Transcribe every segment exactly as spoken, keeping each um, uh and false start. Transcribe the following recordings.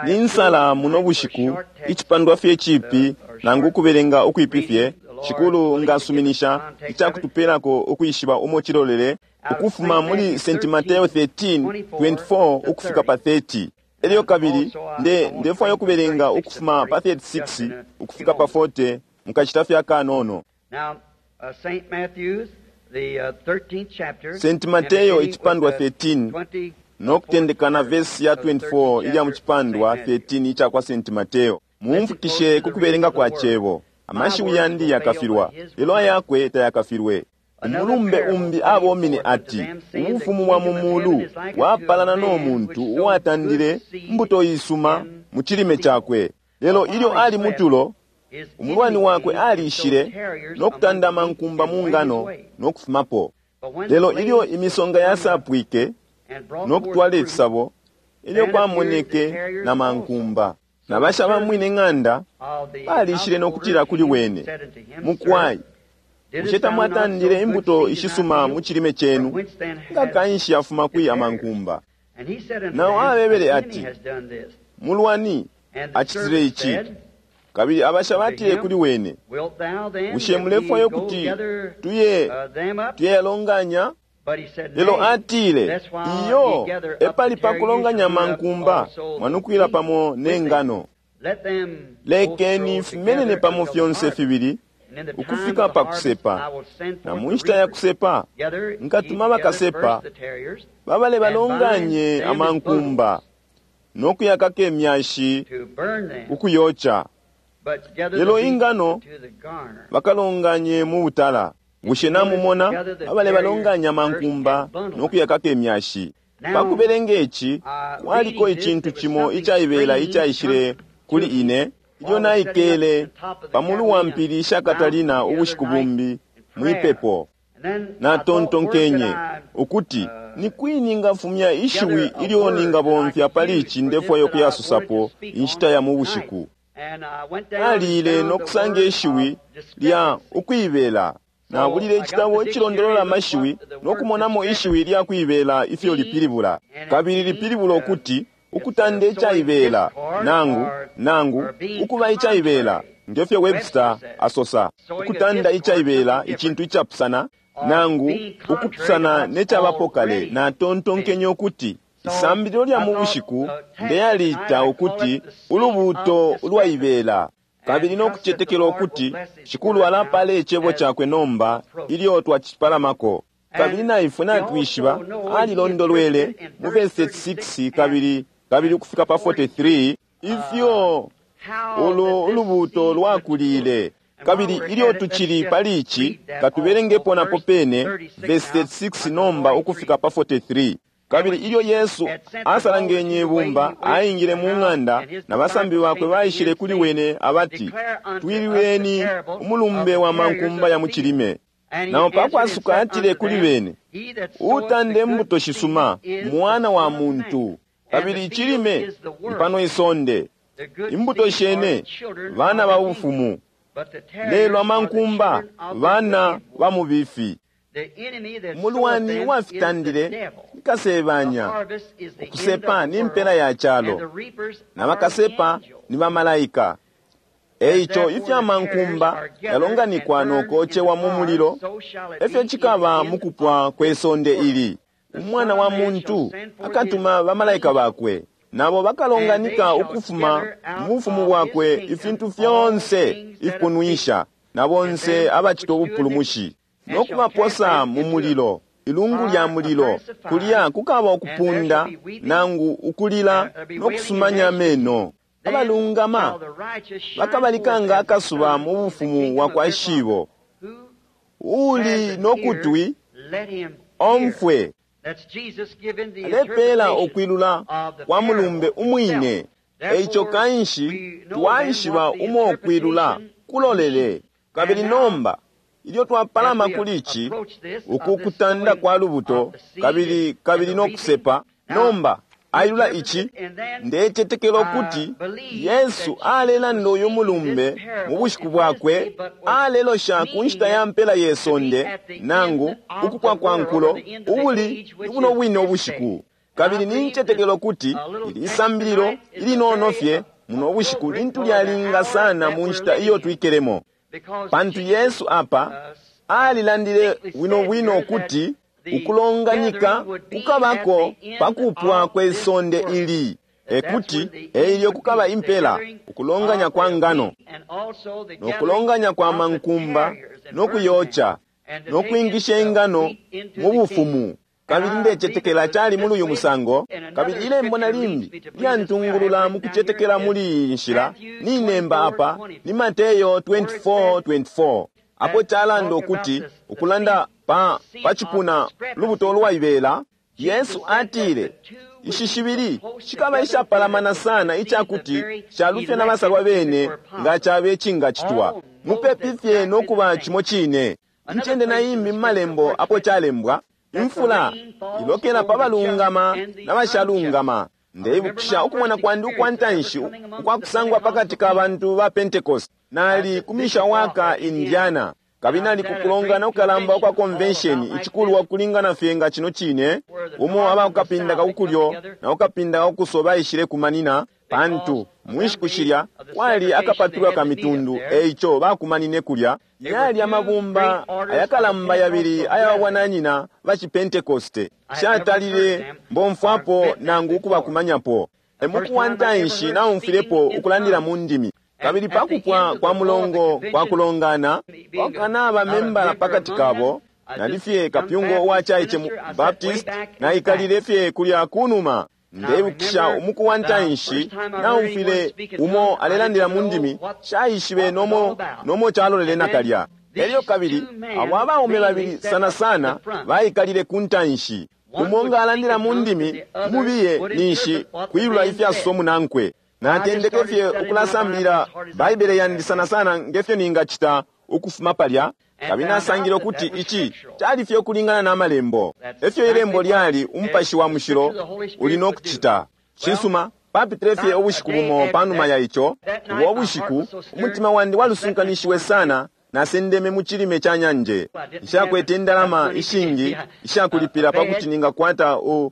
Ni nsala muno bushiku, icipandwa fye cipi nangu kubelenga ukwipi fye, Shikulu ngasuminisha icakutupelako ukwishiba umo cilolele, ukufuma muli Saint Mateo thirteen, twenty-four ukufika pa thirty. Elyo kabili nde ndefwaya ukubelenga ukufuma pa thirty-six ukufika pa forty mukacita fye akanono. Saint Mateo icipandwa thirteen no kutendeka na verse ya twenty-four ilya mu cipandwa thirteen ica kwa Saint Mateo. Mumfukishe ku kubelenga kwa cebo. Amashiwi yandi yakafilwa, lelo ayakwe tayakafilwe. Umulumbe umbi abomine ati, ubufumu bwa mu mulu bwapalana no muntu uwatandile mbuto isuma mu cilime cakwe. Lelo ilyo ali mutulo, umulwani wakwe alishile no kutanda amankumba mu ngano no kufumapo. Lelo ilyo imisonga yasapwike no kutwala ifisabo, ilyo kwamoneke na mankumba. Na basha bamwine ng'anda balishile no kutila kuli wene, mukwai, bushe tamwatandile imbuto ishisuma mu cilime cenu, nga kanshi yafuma kwi amankumba? Nao abebele ati, mulwani acitile ici. Kabili abasha batile kuli wene, bushe mulefwaya kuti tuye tuyalonganya? Lelo atile, iyo, epali pa kulonganya mankumba, mwanukwila pamo ne ngano. Lekeni fimenene pamo fyonse fibili, ukufika pa kusepa. Na mu nshita ya kusepa, nkatuma bakasepa, babale balonganye amankumba, no kuyakaka imyashi ukuyoca. Lelo ingano bakalonganye mu butala. Bushe namumona abale balonganya mankumba no kuyakaka imyashi. Pakubelenga ici, kwaliko icintu cimo icaibela icaishile kuli ine, ilyo naikele pamulu wa mpili sha Katalina ubushiku bumbi mwipepo. Natontonkenye ukuti ni kwi ningafumya ishiwi ilyo ningabomfya pali ici ndefwayo kuyasusapo inshita ya mu bushiku. Nalile no kusanga ishiwi lya ukwibela. Nabulile icitabo icilondolola amashiwi no kumonamo ishiwi lya kwibela ifyo lipilibula. Kabili lipilibula ukuti ukutanda icaibela, nangu, nangu, ukuba icaibela, ngefyo Webster asosa. Ukutanda icaibela icintu icapusana, nangu, ukupusana ne cabapo kale. Natontonkenye ukuti isambililo lya mu bushiku ndeyalita ukuti ulubuuto lwaibela. Kabili no kucetekela ukuti Shikulu alapala icebo cakwe nomba ilyo twacipalamako. Kabili naifwe natwishiba alilondolwele mu verse thirty-six kabili kabili ukufika pa forty-three ifyo ulo ulubuuto lwakulile. Kabili ilyo tucili pali ici katubelengepo napo pene verse thirty-six nomba ukufika pa forty-three. Kabili ilyo Yesu asalangenye ibumba aingile mu ng'anda na basambi bakwe baishile kuli wene abati, twilweni umulumbe wa mankumba ya mu cilime. Nao pakwasuka atile kuli wene, utande mbuto shisuma mwana wa muntu. Kabili icilime pano isonde, imbuto shene bana ba bufumu, lelo amankumba bana ba mubifi. Umulwani wafitandile ikasebanya, ukusepa ni mpela ya calo, na bakasepa ni bamalaika. Eico ifya mankumba yalonganikwa nokocewa mu mulilo, efyo cikaba mukupwa kwe sonde ili. Umwana wa muntu akatuma bamalaika bakwe, nabo bakalonganika ukufuma mu bufumu bwakwe ifintu fyonse ifipunwisha, na bonse abacita ubupulumushi, no kubaposa mu mulilo, ilungu lya mulilo. Kulya kukaba ukupunda nangu ukulila no kusumanya ameno. Abalungama bakabalikanga akasuba mu bufumu bwa kwa Shibo. Uli no kutwi omfwe. Alepela ukwilula kwa mulumbe umwine. Eico kanshi twaishiba umo ukwilula kulolele. Kabili nomba ilyo twapalama kuli ici, uku kutanda kwa lubuto, kabili kabili no kusepa, nomba ailula ici, ndecetekela ukuti Yesu alelanda uyu mulumbe mu bushiku bwakwe, alelosha ku nshita ya mpela ye sonde, nangu ukupwa kwa nkulo, ubuli buno bwine ubushiku. Kabili nincetekela ukuti ili isambililo ilinono fye muno bushiku lintu lyalinga sana mu nshita iyo twikelemo, pantu Yesu apa alilandile bwino bwino ukuti ukulonganika kukabako pa kupwa kwe sonde ili, ekuti eilyo kukaba impela, ukulonganya kwa ngano no kulonganya kwa mankumba no kuyocha no kwingisha ingano mu bufumu. Kabili ndecetekela cali muli uyu musango. Kabili ilembo na limbi lyantungulula mu kucetekela muli iyi nshila ninemba apa ni Mateyo twenty-four twenty-four, apo calanda ukuti ukulanda pa, pa cipuna lubuto lwaibela, Yesu atile ishi shibili shikaba ishapalamana sana icakuti shalufya na basalwa bene nga cabe cingacitwa mupepi fye no kuba cimo cine. Incende na imbi mu malembo apo calembwa imfula ilokela pa balungama na bashalungama. Ndeibukisha ukumona kwandi ukwa ntanshi ukwakusangwa pakati ka bantu ba Pentecost. Nali ku Mishawaka, Indiana, kabili nali kukulongana kukalamba ukwa convention icikulwa kulingana fye nga cino cine, umo abakukapinda kakukulyo na kukapinda kakukuso baishile kumanina, pantu mu nshiku shilya kwali akapatulwa ka mitundu, eico bakumanine kulya. Yali amabumba ayakalamba yabili aya bwananyina ba Chipentecoste. Shatalile mbomfwapo nangu ukubakumanyapo. Emuku wa ntanshi naumfilepo ukulandila mu ndimi. Kabili pakupwa kwa mulongo kwa kulongana, kwakanaba membala pakati kabo, nali fye kapyungo uwacaice mu Baptist, naikalile fye kulya kunuma. Ndeibukisha umuku wa ntanshi naumfile umo alelandila mu ndimi, shaishibe nomo nomo calolele nakalya. Elyo kabili abo abaume babili sana sana baikalile ku ntanshi, umo nga alandila mu ndimi, mubiye ninshi kwilula ifyasomo munankwe. Natendeke fye ukulasambilila Baibele yandi sana sana ngefyo ningacita ukufuma palya, kabili nasangile ukuti ici cali fye ukulingana na malembo. Efyo ilembo lyali umupashi wa mushilo uli no kucita. Cisuma, papitile fye ubushiku bumo panuma ya ico, ubo bushiku umutima wandi walusunkanishiwe sana, nasendeme mu cilime ca nyanje. Nshakwete indalama ishingi ishakulipila pakuti ningakwata u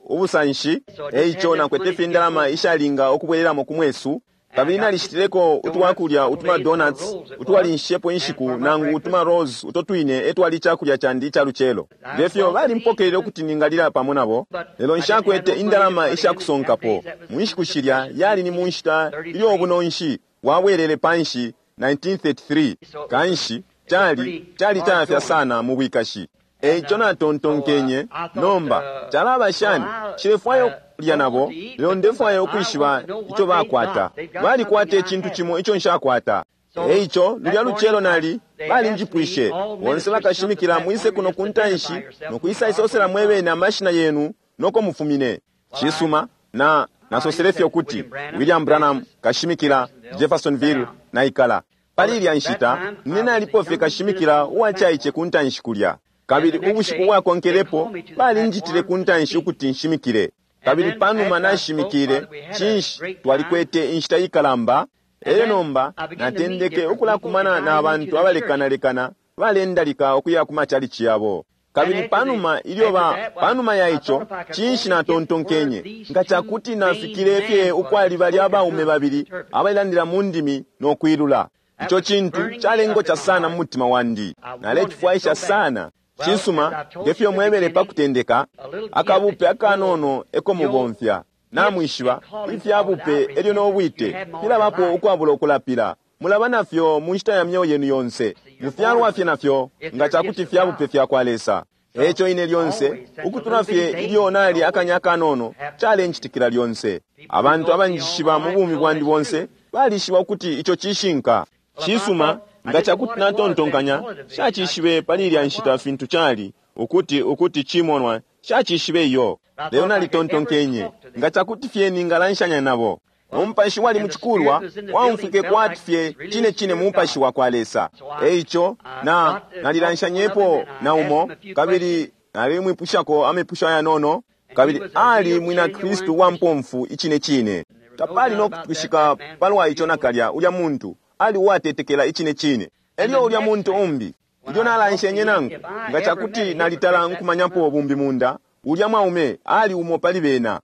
ubusanshi, eico nakwete fye indalama ishalinga ukubwelelamo ku mwesu. Kabili nalishitileko utwakulya utuma donuts utwalinshepo inshiku nangu utuma rolls uto twine etwali icakulya candi ica lucelo. Ngefyo balimpokelele ukuti ningalila pamo nabo, lelo nshakwete indalama ishakusonkapo. Mu nshiku shilya yali ni mu nshita ilyo ubunonshi bwabwelele panshi nineteen thirty-three. Kanshi cali cali cayafya sana mu bwikashi. Eico natontonkenye, nomba calaba shani? Nshilefwaya ukulya nabo, lelo ndefwaya ukwishiba ico bakwata. Balikwata icintu cimo ico nshakwata. Eico lulya lucelo nali balinjipwishe, bonse bakashimikila mwise kuno ku ntanshi no kwisa isosela mwebene amashina yenu noko mufumine. Cisuma, na nasosele fye ukuti William Branham kashimikila Jeffersonville naikala. Pali ilya nshita nine nalipo fye kashimikila uwacaice ku ntanshi kulya. Kabili ubushiku bwakonkelepo balinjitile ku ntanshi ukuti nshimikile. Kabili panuma nashimikile, cinshi twalikwete inshita ikalamba. Elyo nomba natendeke ukulakumana na bantu abalekanalekana balendalika ukuya ku machalichi yabo. Kabili panuma ilyo ba panuma ya ico, cinshi natontonkenye nga cakuti nafikile fye ukwali bali abaume babili abailandila mu ndimi no kwilula. Ico cintu calengoca sana mu mutima wandi, nalecifwaisha sana. Cisuma, ngefyo mwebele pa kutendeka, akabupe akanono eko mubomfya. Namwishiba ifyabupe elyo nobwite filabapo ukwabula ukulapila. Mulaba nafyo mu nshita ya myeo yenu yonse, mufyalwa fye nafyo nga cakuti fyabupe fya kwa Lesa. Eco ine lyonse ukutula fye ilyo nali akanya akanono calencitikila lyonse. Abantu abanjishiba mu bumi bwandi bonse balishiba ukuti ico cishinka. Cisuma, nga cakuti natontonkanya shacishibe pali ilya nshita fintu cali ukuti ukuti cimonwa shacishibe iyo. Lelo nalitontonkenye nga cakuti fye ningalanshanya nabo. Umupashi wali mucikulwa waumfwike kwati fye cine cine mu mupashi wa kwa Lesa. Eico na nalilanshanyepo na umo, kabili nalimwipushako amepusho ayanono, kabili ali mwina Kristu wa mpomfu icine cine. Tapali no kutwishika palwa ico nakalya ulya muntu ali uwatetekela icine cine. Elyo ulya muntu umbi ilyo nalanshenye nangu, nga cakuti nalitala nkumanyapo bumbi munda, Ulya mwaume ali umo pali bena.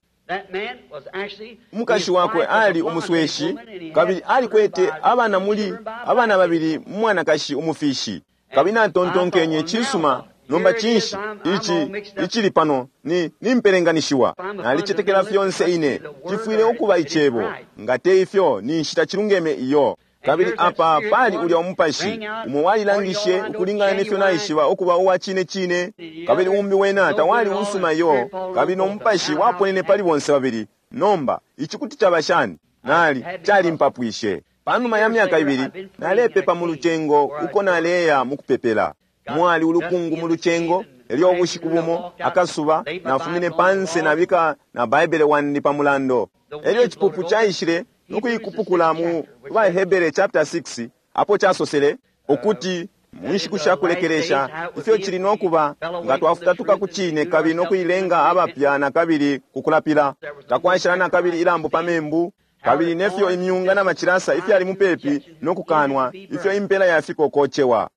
Umukashi wakwe ali umusweshi, kabili alikwete abana muli abana babili mwanakashi umufishi. Kabili natontonkenye, cisuma, nomba cinshi ici icili pano ni nimpelenganishiwa. Nalicetekela fyonse ine, cifwile ukuba icebo. Nga te ifyo ni nshita cilungeme iyo. Kabili apa pali ulya umupashi umo walilangishe ukulingana nefyo naishiba ukuba uwa cine cine, kabili umbi wena tawali usuma iyo, kabili no mupashi waponene pali bonse babili. Nomba ici kuti caba shani? Nali calimpapwishe. Panuma ya myaka ibili nalepepa mu lucengo uko naleya mu kupepela. Mwali ulukungu mu lucengo. Elyo ubushiku bumo akasuba nafumine panse nabika na Baibele wandi pa mulando. Elyo icipupu caishile nokuikupukula mu Bahebere chapter six, apo casosele ukuti mu nshiku sha kulekelesha ifyo cili nokuba nga twafutatuka ku cine kabili nokuilenga abapya na kabili kukulapila, takwashala na kabili ilambo pa membu, kabili nefyo imyunga na macilasa ifyali mupepi nokukanwa, ifyo impela yafiko kocewa.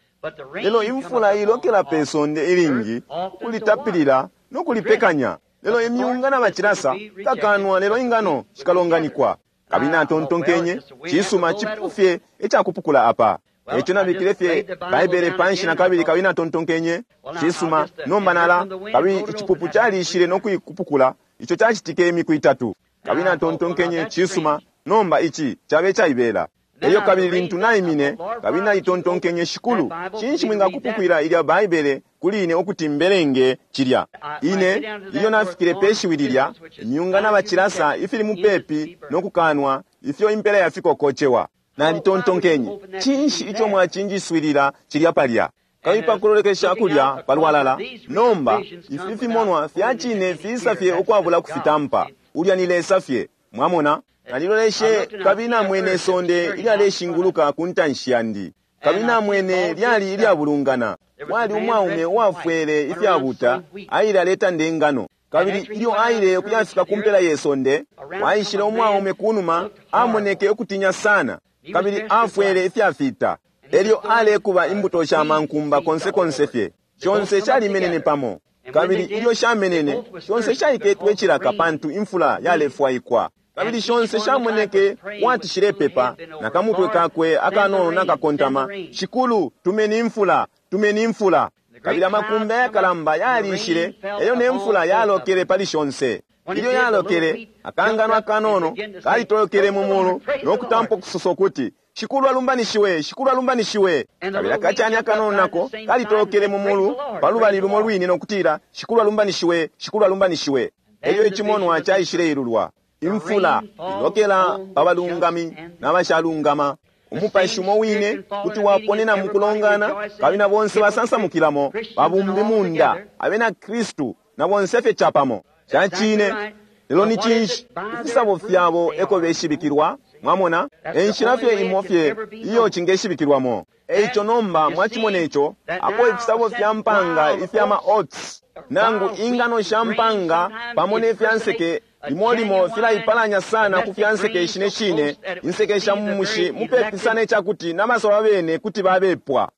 Lelo imfula ilokela pe sonde ilingi kulitapilila nokulipekanya. Lelo imyunga na macilasa kakanwa, lelo ingano shikalonganikwa. Kabili natontonkenye, cisuma, cipufye icakupukula apa. Eco nabikile fye Baibele panshi na kabili, kabili natontonkenye, cisuma, nomba nala. Kabili icipupu calishile nokuikupukula, ico cacitike imiku itatu. Kabili natontonkenye, cisuma, nomba ici cabe caibela. Elyo kabili lintu naimine, kabili nalitontonkenye, Shikulu, cinshi mwingakupukwila ilya Baibele kuli ine ukuti mbelenge cilya? Ine ilyo nafikile pe shiwi lilya, imyunga na bacilasa ifili mupepi nokukanwa, ifyo impela yafiko kocewa. Nalitontonkenye, cinshi ico mwacinjiswilila cilya palya? Kabili pakulolekesha kulya palwalala, nomba ifi fimonwa fya cine fisa fye ukwabula kufitampa. Ulya ni Lesa fye, mwamona? Naliloleshe kabili namwene isonde ilyaleshinguluka ku ntanshi yandi, kabili namwene lyali ilyabulungana. Wali umwaume uwafwele ifyabuta aile aletanda ingano, kabili ilyo aile kuyafika ku mpela ye sonde, waishile umwaume kunuma, amoneke ukutinya sana, kabili afwele ifyafita. Elyo alekuba imbuto sha mankumba konse konse fye, shonse shalimenene pamo, kabili ilyo shamenene shonse shaiketwe cilaka pantu imfula yalefwaikwa. Kabili shonse shamoneke wati shilepepa, na kamutwe kakwe akanono nakakontama, Shikulu, tumeni imfula, tumeni imfula. Kabili amakumbi ayakalamba yalishile, elyo ne mfula yalokele pali shonse. Ilyo yalokele, akangano akanono kalitolokele mu mulu nokutampa ukusosa ukuti, Shikulu alumbanishiwe, Shikulu alumbanishiwe. Kabili akacani akanono nako kalitolokele mu mulu pa lubali lumo lwine nokutila, Shikulu alumbanishiwe, Shikulu alumbanishiwe. Elyo icimonwa caishile ilulwa. Imfula ilokela pa balungami n'abashalungama. Umupashi umo wine kuti waponena mu kulongana, kabili na bonse basansamukilamo babumbi munda abena Kristu na bonse fye capamo. Ca cine, lelo ni cinshi? Ifisabo fyabo eko beshibikilwa. Mwamona, enshila fye imo fye iyo cingeshibikilwamo. Eico nomba mwacimona ico, apo ifisabo fya mpanga ifya ma oats nangu ingano sha mpanga pamo ne fya nseke limo limo filaipalanya sana ku fya nseke ishine shine, inseke sha mu mushi mupepi sana icakuti n'amasolo bene kuti babepwa.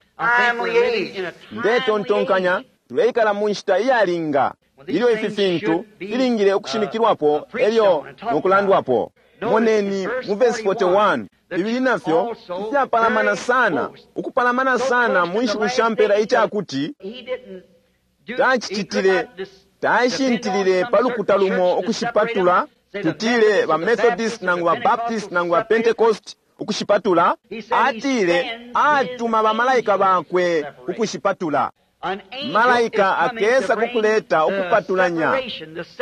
Ndetontonkanya tuleikala mu nshita iyalinga ilyo ifi fintu filingile ukushimikilwapo elyo nokulandwapo. Moneni mu verse forty-one, bibili nafyo ifyapalamana sana, ukupalamana sana mu nshiku sha mpela icakuti tacicitile tashintilile pa lukuta lumo ukushipatula, tutile ba Methodist nangu ba Baptist nangu ba Pentecost ukushipatula. Atile atuma bamalaika bakwe ukushipatula. Malaika akesa kukuleta ukupatulanya,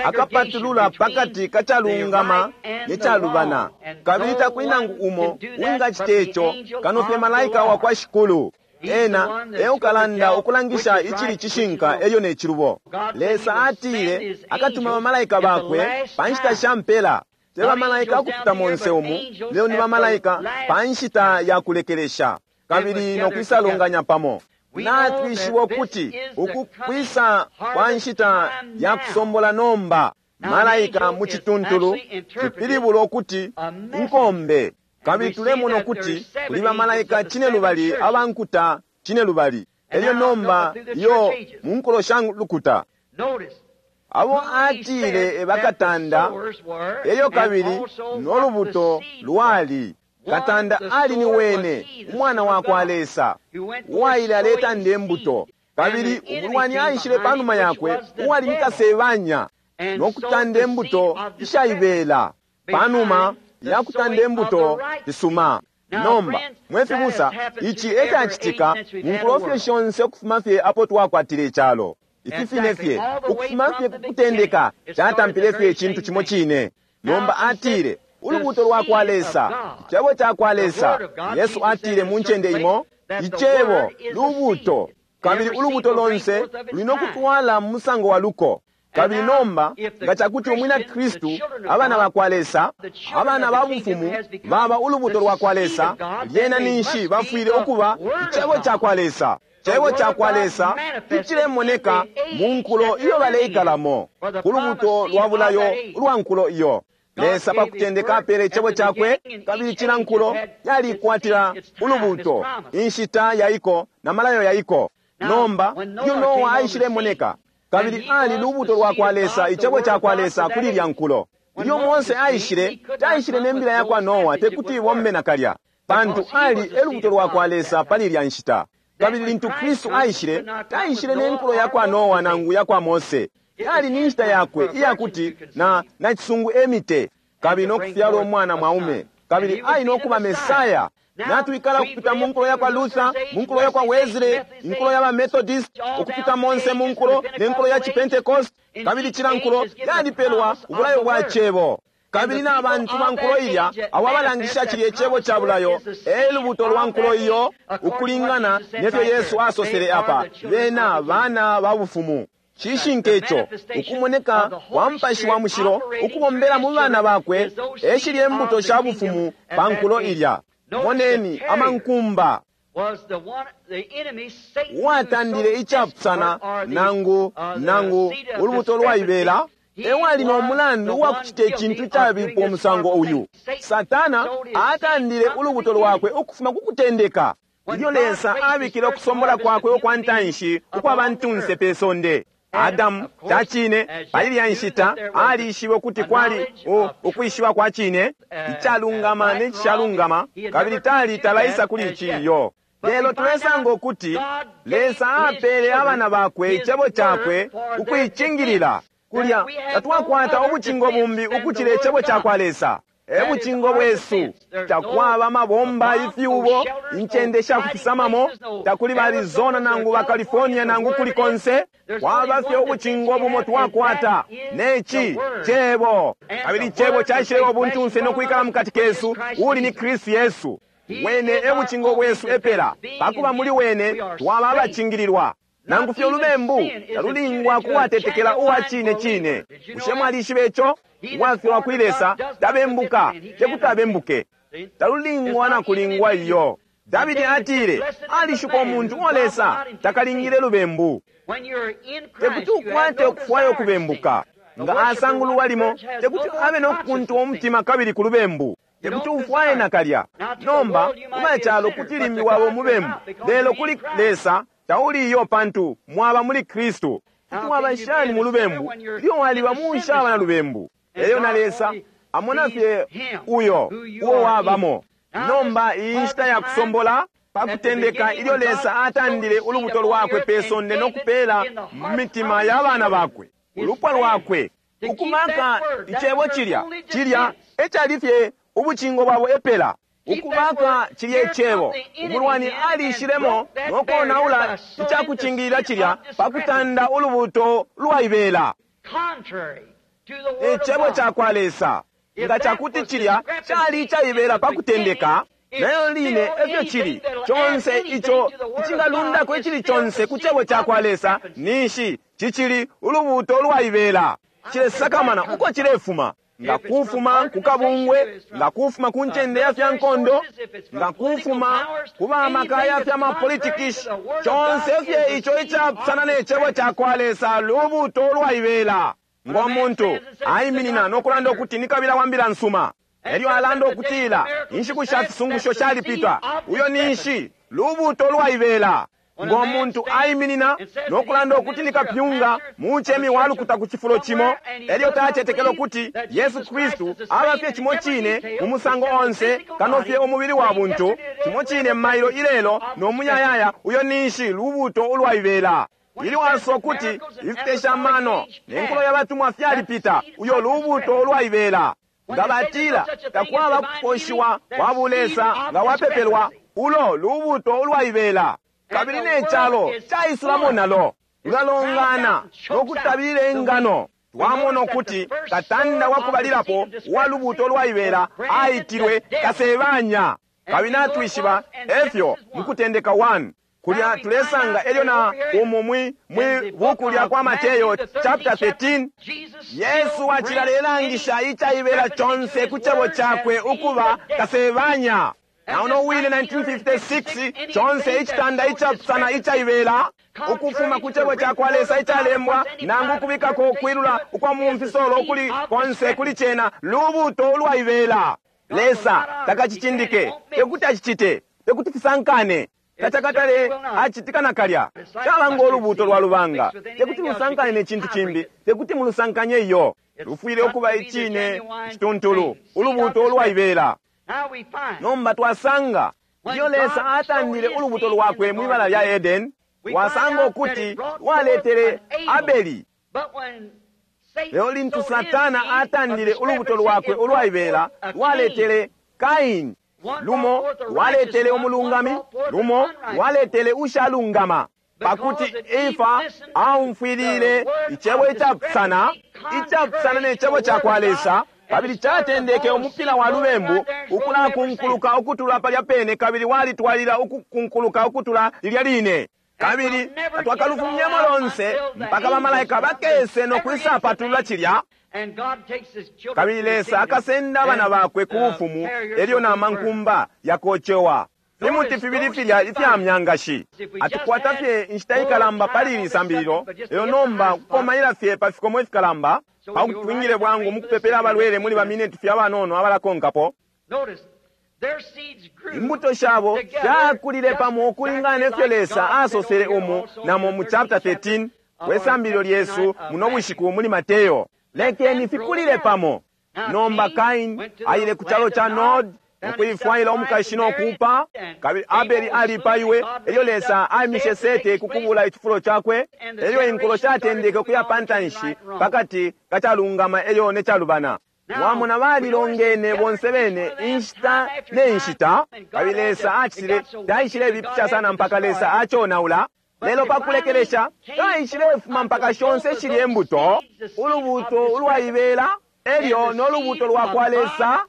akapatulula pakati kacalungama ne calubana, kabili takuli nangu umo wingacita ico kano fye malaika wa kwa Shikulu. Ena eukalanda ukulangisha icili cishinka elyo ne cilubo. Lesa atile akatuma bamalaika bakwe pa nshita sha mpela. Te bamalaika akupita monse umu, lelo ni bamalaika pa nshita ya kulekelesha, kabili no kwisalunganya pamo. Natwishiwa ukuti uku kwisa kwa nshita ya kusombola nomba. Malaika mu cituntulu cipilibula ukuti inkombe, kabili tulemona ukuti kuli bamalaika cine lubali abankuta cine lubali. Elyo nomba iyo mu nkulo sha lukuta. Abo atile ebakatanda, elyo kabili no lubuto lwali. Katanda ali ni wene, umwana wa kwa Lesa, uwaile aletanda imbuto. Kabili umulwani aishile panuma yakwe, uwali ni Kasebanya, no kutanda imbuto ishaibela. Panuma ya kutanda imbuto isuma. Nomba mwe fibusa, ici ecacitika mu nkulo fye shonse ukufuma fye apo twakwatile icalo. Ifi fine fye ukufuma fye kukutendeka catampile fye icintu cimo cine. Nomba atile ulubuto lwa kwa Lesa, icebo ca kwa Lesa. Yesu atile mu ncende imo, icebo lubuto, kabili ulubuto lonse luli no kutwala mu musango wa luko. Kabili nomba nga cakuti umwina Kristu, abana ba kwa Lesa, abana ba bufumu baba ulubuto lwa kwa Lesa, lyena ninshi bafwile ukuba icebo ca kwa Lesa. Cebo ca kwa Lesa icilemoneka mu nkulo iyo baleikalamo, ku lubuto lwa bulayo ulwa nkulo iyo. Lesa pa kutendeka apele icebo cakwe, kabili cila nkulo yalikwatila ulubuto, inshita yaiko na malayo yaiko. Nomba ilyo Noa aishilemoneka, kabili ali lubuto lwa kwa Lesa, icebo ca kwa Lesa kuli lya nkulo. Ilyo Mose aishile, taishile ne mbila ya kwa Noa, tekuti ibombe nakalya, pantu ali e lubuto lwa kwa Lesa pali lya nshita. Kabili lintu Kristu aishile, taishile ne nkulo ya kwa Noa nangu ya kwa Mose. Yali ni nshita yakwe iyakuti na nacisungu emite, kabili no kufyala umwana mwaume, kabili ali no kuba Mesaya. Natwikala ukupita mu nkulo ya kwa Luther, mu nkulo ya kwa Wesley, inkulo ya ba Methodist, ukupita monse mu nkulo ne nkulo ya Chipentecost, kabili cila nkulo yalipelwa ubulayo bwa cebo. Kabili na bantu ba nkulo ilya abo abalangisha cilya icebo ca bulayo e lubuto lwa nkulo iyo, ukulingana nefyo Yesu asosele apa, bena bana ba bufumu. Cishinka ico, ukumoneka kwa Mupashi wa Mushilo ukubombela mu bana bakwe e shilya imbuto sha bufumu pa nkulo ilya. Moneni amankumba uwatandile icapusana nangu nangu ulubuto lwaibela ewali no mulandu uwakucita icintu icabipa umusango uyu. Satana atandile ulubuto lwakwe ukufuma ku kutendeka, ilyo Lesa abikile ukusombola kwakwe ukwa ntanshi ukwa bantunse pe sonde. Adamu cacine pali lya nshita alishibe ukuti kwali ukwishiba kwa cine, icalungama ne cishalungama, kabili tali talaisa kuli ici iyo. Lelo tulesanga ukuti Lesa apele abana bakwe icebo cakwe ukuicingilila. Kulya tatwakwata ubucingo bumbi ukucila icebo ca kwa Lesa. E bucingo bwesu. Takwaba mabomba, ifyubo, incende sha kufisamamo, takuli ba Arizona nangu ba California nangu kuli konse. Kwaba fye ubucingo bumo twakwata, neci cebo. Kabili cebo caishileba ubuntunse no kwikala mukati kesu, uli ni Kristu Yesu. Wene e bucingo bwesu epela, pakuba muli wene twaba abacingililwa. Nangu fye ulubembu talulingwa kuwatetekela uwa cine cine. Bushe mwalishiba ico? Uwafyalwa kuli Lesa tabembuka, tekuti abembuke. Talulingwa na kulingwa iyo. Davidi atile alishuka umuntu uo Lesa takalingile lubembu. Tekuti ukwate ukufwaya ukubembuka. Nga asangululwa limo, tekuti abe no kukuntwa umutima kabili ku lubembu. Tekuti ufwaye nakalya. Nomba kubacalo kuti limbi waba umubembu, lelo kuli Lesa tauli iyo, pantu mwaba muli Kristu. Kuti waba shani mu lubembu ilyo waliba mushaba na lubembu? Elyo na Lesa amona fye uyo uo wabamo. Nomba iyi nshita ya kusombola pa kutendeka, ilyo Lesa atandile ulubuto lwakwe pe sonde no kupela mu mitima ya bana bakwe, ulupwa lwakwe, ukumaka icebo cilya cilya ecali fye ubucingo bwabo epela. Ukubaka cilya icebo, umulwani alishilemo no konaula icakucingilila cilya pa kutanda ulubuto lwaibela, icebo ca kwa Lesa. Nga cakuti cilya cali icaibela pa kutendeka, nayo line efyo cili conse ico icingalundako icili conse ku cebo ca kwa Lesa, ninshi cicili ulubuto lwaibela. Cilesakamana uko cilefuma. Nga kufuma ku kabungwe, nga kufuma ku ncende ya fya nkondo, nga kufuma ku bamaka ya fya mapolitikishi, conse fye ico icapusana ne cebo ca kwa Lesa lubuto lwaibela. Ngo muntu aiminina no kulanda ukuti ni kabila wa mbila nsuma, elyo alanda ukutila inshiku sha fisungusho shalipita, uyo ninshi lubuto lwaibela. Ngo muntu aiminina no kulanda ukuti ni kapyunga muchemi walukuta ku chifulo chimo, elyo tachetekela ukuti Yesu Kristu aba fye chimo chine mu musango onse kano fye umubili wa buntu, chimo chine mailo ilelo no muyayaya, uyo ninshi lubuto ulwaibela. Ili waso ukuti ifipesha amano ne nkulo ya batumwa fyalipita, uyo lubuto ulwaibela. Nga batila takwaba kuposhiwa kwa bulesa nga wapepelwa, ulo lubuto ulwaibela. Kabili ne chalo chaisulamo nalo lulalongana nokutabile ingano. Twamona ukuti katanda wakubalilapo wa lubuto lwaibela aitilwe Kasebanya. Kabili natwishiba efyo mukutendeka one kulya tulesanga elyo na umu mwi mwi buku lya kwa Mateyo chapter thirteen, Yesu acilalangisha ichaibela chonse ku chebo chakwe ukuba Kasebanya. Na uno wile nineteen fifty-six chonse ichitanda ichapusana ichaibela ukufuma ku chebo chakwa Lesa ichalembwa nangu kubikako kwilula ukwa mumfisolo kuli konse kuli chena lubuto ulwaibela. Lesa takachichindike, tekuti achichite, tekuti fisankane. Tachakatale achitika nakalya. Caba ngo lubuto lwa lubanga, tekuti lusankane ne chintu chimbi, tekuti mulusankanye iyo. Lufwile ukuba ichine chituntulu, ulubuto ulwaibela. Nomba twasanga iyo Lesa atandile ulubuto lwakwe mwibala lya Eden, wasanga ukuti waletele Abeli. Leo lintu Satana atandile ulubuto lwakwe ulwaibela, waletele Kaini. Lumo waletele umulungami, lumo waletele ushalungama. Pakuti Efa aumfwilile ichebo ichapusana, ichapusana ne chebo chakwa Lesa, kabili chatendeke umupila wa lubembu ukulakunkuluka ukutula palya pene, kabili walitwalila ukukunkuluka ukutula lilya line. Kabili twakalufumyemo lonse mpaka bamalaika bakese no kwisapatulula chilya. Kabili Lesa akasenda abana bakwe ku bufumu, elyo na mankumba yakochewa. Fimuti fibili filya ifya myangashi. Atukwata fye inshita ikalamba pali ili sambililo, lelo nomba kukomaila fye pa fikomo ifikalamba, pakuti twingile bwangu mukupepela abalwele muli bamineti fye abanono abalakonkapo. Imbuto shabo shakulile pamo ukulingana nefyo Lesa asosele umu namo mu chapter thirteen wesambililo lyesu muno bushiku muli Mateyo. Lekeni fikulile pamo. Nomba Kain aile ku chalo cha Nod ukuifwaila umukashi nokuupa, kabili Abeli alipaiwe, elyo Lesa aimishe Sete kukubula ichifulo chakwe, elyo inkulo shatendeke ukuya pantanshi pakati kachalungama elyo nechalubana. Wamona balilongene bonse bene inshita ne nshita, kabili Lesa achitile taishile bipisha sana mpaka Lesa achonaula. Lelo pakulekelesha taishile fuma mpaka shonse shili embuto, ulubuto ulwaibela elyo nolubuto lwakwa Lesa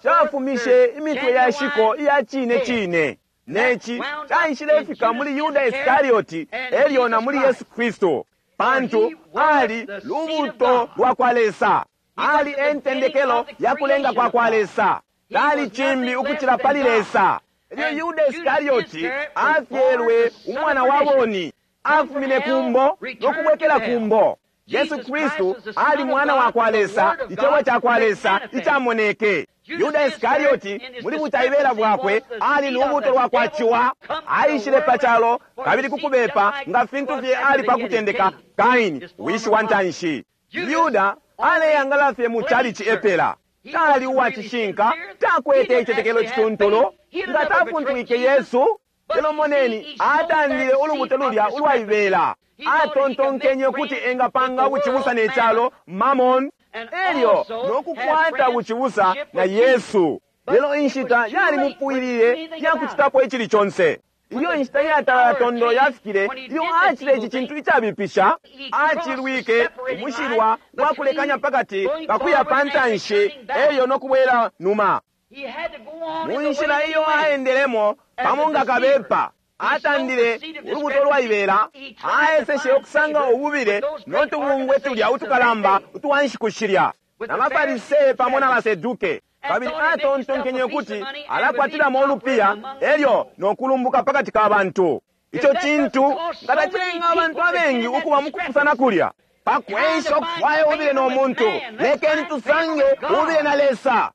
shafumishe imitwe ya shiko iya chine chine. Nechi taishilefika muli Yuda Iskarioti elyo na muli Yesu Kristo, pantu ali lubuto lwakwa Lesa, ali entendekelo ya kulenga kwa kwa Lesa, tali chimbi ukuchila pali Lesa. Elyo Yuda Iskarioti afyelwe umwana wa boni, afumine kumbo nokubwekela kumbo. Yesu Kristu ali mwana wa kwa Lesa, ichebo cha kwa Lesa ichamoneke. Yuda Iskarioti muli butaibela bwakwe ali lubuto lwa kwa chiwa, aishile pachalo kabili kukubepa nga fintu fye ali pakutendeka Kaini wishi wa ntanshi. Yuda aleyangala fye mu chalichi epela, tali uwachishinka, takwete ichetekelo chituntulu nga tafuntwike Yesu. Lelo moneni atandile ulubuto lulya ulwaibela, atontonkenye kuti engapanga buchibusa ne chalo Mamon, elyo nokukwata buchibusa na Yesu. Lelo inshita yali mupwilile yakuchitapo ichili chonse. Iyo inshita yatalala tondo yafikile, iyo achile ichi chintu ichabipisha, achilwike umushilwa wakulekanya pakati kakuya pantanshi elyo nokubwela numa. Munshila iyo aendelemo pamo nga kabepa, atandile ulubuto lwaibela, aeseshe okusanga ububile notubungwe tulya utukalamba utuwanshikushilya na bafarisee pamo na baseduke. Kabili atontonkenye kuti alakwatilamo ulupiya elyo nokulumbuka pakati ka bantu. Icho chintu nga tachilenga abantu abengi ukuba mukupusana kulya. Pakwesha okufwaya ubile no muntu, lekeni tusange ubile na Lesa.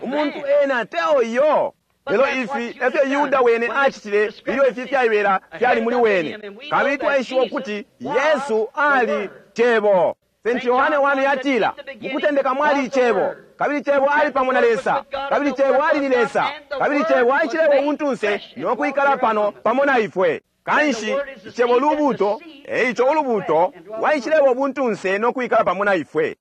Umuntu ena teo iyo. Lelo ifi efyo Yuda wene acitile ilyo ifi fyaibela fyali muli wene. Kabili twaishiba ukuti Yesu ali Cebo. Saint Yohane one yatila, mukutendeka mwali Icebo, kabili Cebo ali pamo na Lesa, kabili Cebo ali ni Lesa, kabili Cebo aishileba umuntunse no kwikala pano pamo na ifwe. Kanshi Icebo lubuto, eico ulubuto lwaishileba ubuntunse no kwikala pamo na ifwe.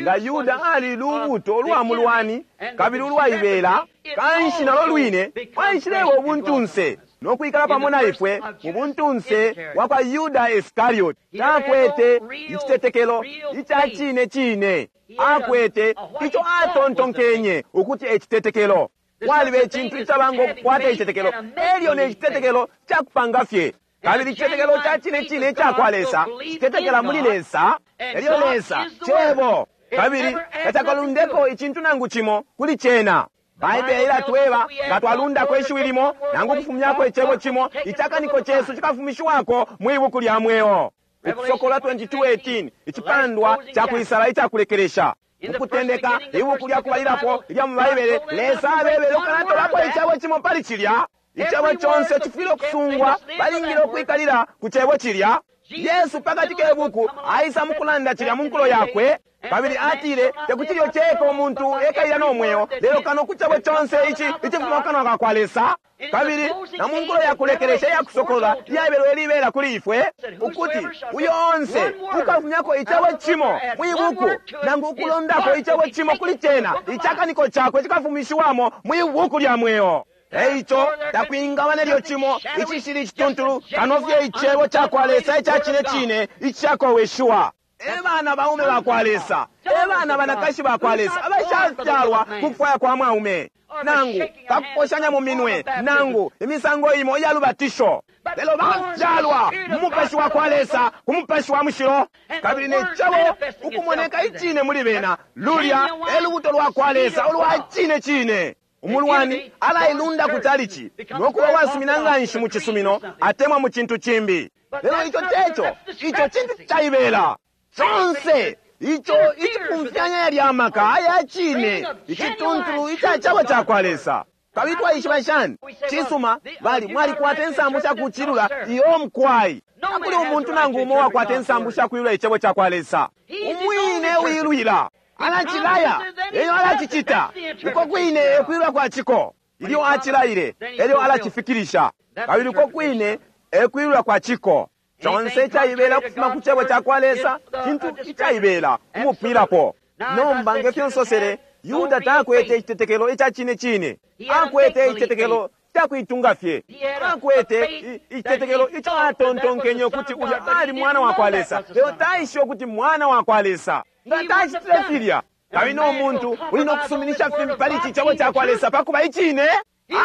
Nga Yuda ali lubuto lwa mulwani kabili ulwaibela, kanshi nalo lwine lwaishileba ubuntunse no kwikala pamo na ifwe mu buntunse wa kwa Yuda Iskarioti. Takwete icitetekelo ica cine cine, akwete ico atontonkenye ukuti ecitetekelo. Kwaliba icintu icaba ngo kukwata icitetekelo elyo ne citetekelo cakupanga fye. Kabili icitetekelo ca cine cine ica kwa Lesa citetekela muli Lesa, elyo Lesa Cebo, kabili tacakalundeko icintu nangu cimo kuli cena. Baibele ilatweba nga twalundako ishiwi limo nangu kufumyako icebo cimo, icakaniko cesu cikafumishiwako mwi buku lya mweo. Ukusokola twenty-two eighteen, icipandwa ca kuisala icakulekelesha. Mukutendeka ibuku lya kubalilapo ilya mu Baibele, Lesa abebele ukanatolapo icebo cimo pali cilya. Icebo conse cifwile ukusungwa, balingile ukwikalila ku cebo cilya. Yesu pakati ke buku aisa mukulanda cilya mu nkulo yakwe, kabili atile tekuti lyo ceka umuntu ekalila no mweo, lelo kano ku cebo conse ici icifuma kanwa ka kwa Lesa. Kabili na mu nkulo ya kulekelesha iya kusokolola iyabelwe libela kuli ifwe, ukuti uyo onse ukafumyako icebo cimo mwi buku nangu ukulondako icebo cimo kuli cena, icakaniko cakwe cikafumishiwamo mwi buku lya mweo. Eico takwingaba nelyo cimo icishili icituntulu kano fye icebo ca kwa Lesa ica cine cine icakoweshiwa. E bana baume ba kwa Lesa, e bana banakashi ba kwa Lesa abashafyalwa ku kufwaya kwa mwaume, nangu pakuposhanya mu minwe, nangu imisango imo iya lubatisho, lelo bafyalwa mu mupashi wa kwa Lesa, ku mupashi wa mushilo, kabili ne cebo ukumoneka icine muli bena. Lulya e lubuto lwa kwa Lesa ulwa cine cine. Umulwani alailunda ku chalichi no kuba wasumina nganshi mu cisumino atemwa mu cintu cimbi, lelo ico teco, ico cintu caibela conse ico icipumfyanya yalya amaka aya cine icituntulu ica cebo ca kwa Lesa. Kabili twaishiba shani? Cisuma, bali mwalikwata insambu sha kucilula iyo mkwai. Takuli umuntu nangu umo wakwata insambu sha kuilula icebo ca kwa Lesa. Umwine uilwila alacilaya, elyo alacicita uko kwine ekwilula kwa ciko. Ilyo acilaile, elyo alacifikirisha, kabili uko kwine ekwilula kwa ciko. Conse icaibela ukufuma ku cebo ca kwa Lesa cintu icaibela umupwilapo. Nomba ngefyo nsosele, Yuda takwete icitetekelo ica cine cine, akwete icitetekelo cakuitunga fye, akwete icitetekelo ico atontonkenye ukuti ulya ali mwana wa kwa Lesa, lelo taishiba ukuti mwana wa kwa Lesa. Nga tacitile filya, kabili no muntu uli no kusuminisha fimbi pali ici cebo ca kwa Lesa pakuba icine,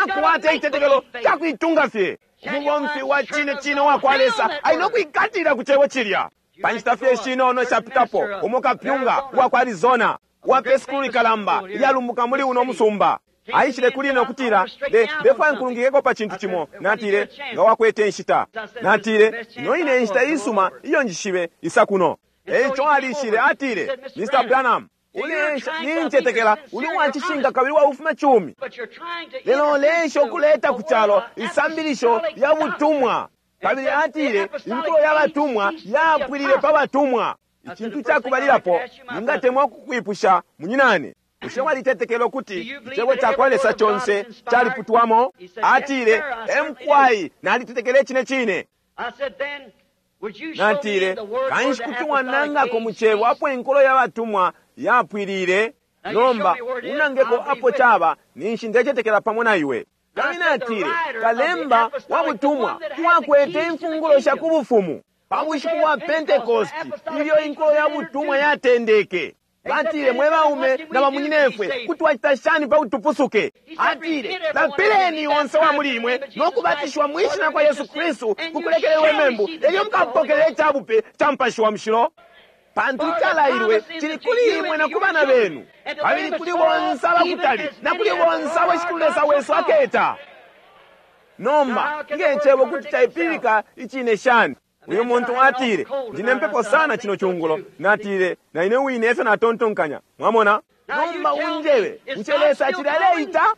akwate icitetekelo cakuitunga fye. Umubomfi wa cine cine wa kwa Lesa ali no kwikatilila ku cebo cilya. Pa nshita fye shinono ishapitapo, umo kapyunga uwa kwa Arizona uwa pe sukulu likalamba ilyalumbuka muli uno musumba aishile kuli ine ukutila, ndefwaya nkulungikeko pa cintu cimo. Natile, nga wakwete inshita. Natile, ino ine inshita isuma iyo njishibe isa kuno. Eico alishile atile, Mister Branham, ulesha nincetekela uli wacishinka kabili waufuma cumi, lelo ulesha ukuleta ku calo isambilisho lya butumwa. Kabili atile, inkulo ya batumwa yapwilile pa batumwa. Icintu cakubalilapo ningatemwa kukwipusha munyinane, bushe walitetekela ukuti icebo ca kwa Lesa conse caliputwamo? Atile, emkwai, nalitetekela icine cine. Natile, kanshi kuti wanangako mu cebo apo inkulo ya batumwa yapwilile? Nomba unangeko apo caba, ninshi ndecetekela pamo na iwe. Kabili natile, kalemba wa butumwa wakwete imfungulo sha ku bufumu pa bushiku bwa Pentekosti ilyo inkulo ya butumwa yatendeke. Batile, mwe baume na bamunyinefwe, kuti twacita shani pa kuti tupusuke? Atile, lapileni onse wa muli imwe no kubatishiwa mwi shina kwa Yesu Kristu ku kulekelelwa imembu, elyo mukapokelela icabupe ca Mupashi wa Mushilo. Pantu icalailwe cili kuli imwe na ku bana benu, kabili kuli bonse abakutali na kuli bonse abo Shikulu Lesa wesu aketa. Nomba nge cebo kuti caipilika icine shani? Uyu muntu atile, ndine mpepo sana chino chungulo. Natile, na ine wine efyo natontonkanya. Mwamona? Nomba unjebe, bushe Lesa acili aleita?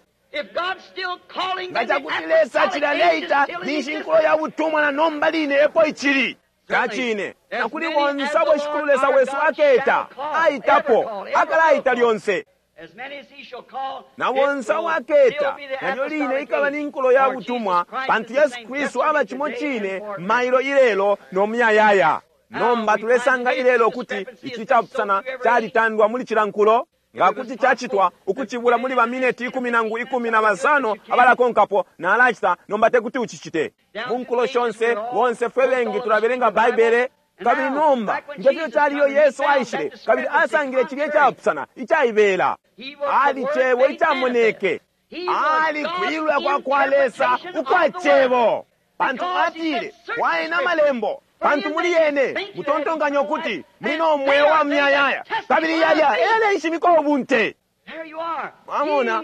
Nga cakuti Lesa cilaleita, ninshi inkulo ya butumwa na nomba line epo icili. Cacine, na kuli bonse abo Shikulu Lesa wesu aketa, aitapo, akalaita lyonse. Na bonse abo aketa, nalyo line ikaba ni nkulo ya butumwa, pantu Yesu Kristu aba cimo cine mailo ilelo no muyayaya. Nomba tulesanga ilelo kuti ici capusana calitandwa muli cila nkulo. Nga kuti cacitwa ukucibula muli bamineti ikumi nangu ikumi na basano abalakonkapo nalacita, nomba tekuti ucicite. Mu nkulo shonse bonse fwe bengi tulabelenga Baibele. Kabili nomba ngefyo caliyo Yesu aishile kabili asangile cilya icapusana icaibela. Ali cebo icamoneke, ali kwilula kwa kwa Lesa ukwa cebo, pantu atile waena malembo, pantu muli yene mutontonkanya ukuti muli no mweo wa muyayaya, kabili yalya eleshimika ubunte. Mwamona,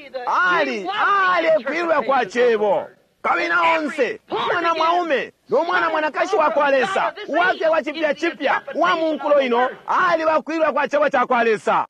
ali ali kwilula kwa cebo. Kabili na onse umwana mwaume no mwana mwanakashi wa kwa Lesa uwafyalwa cipya cipya uwa mu nkulo ino ali wakwilula kwa cebo ca kwa Lesa.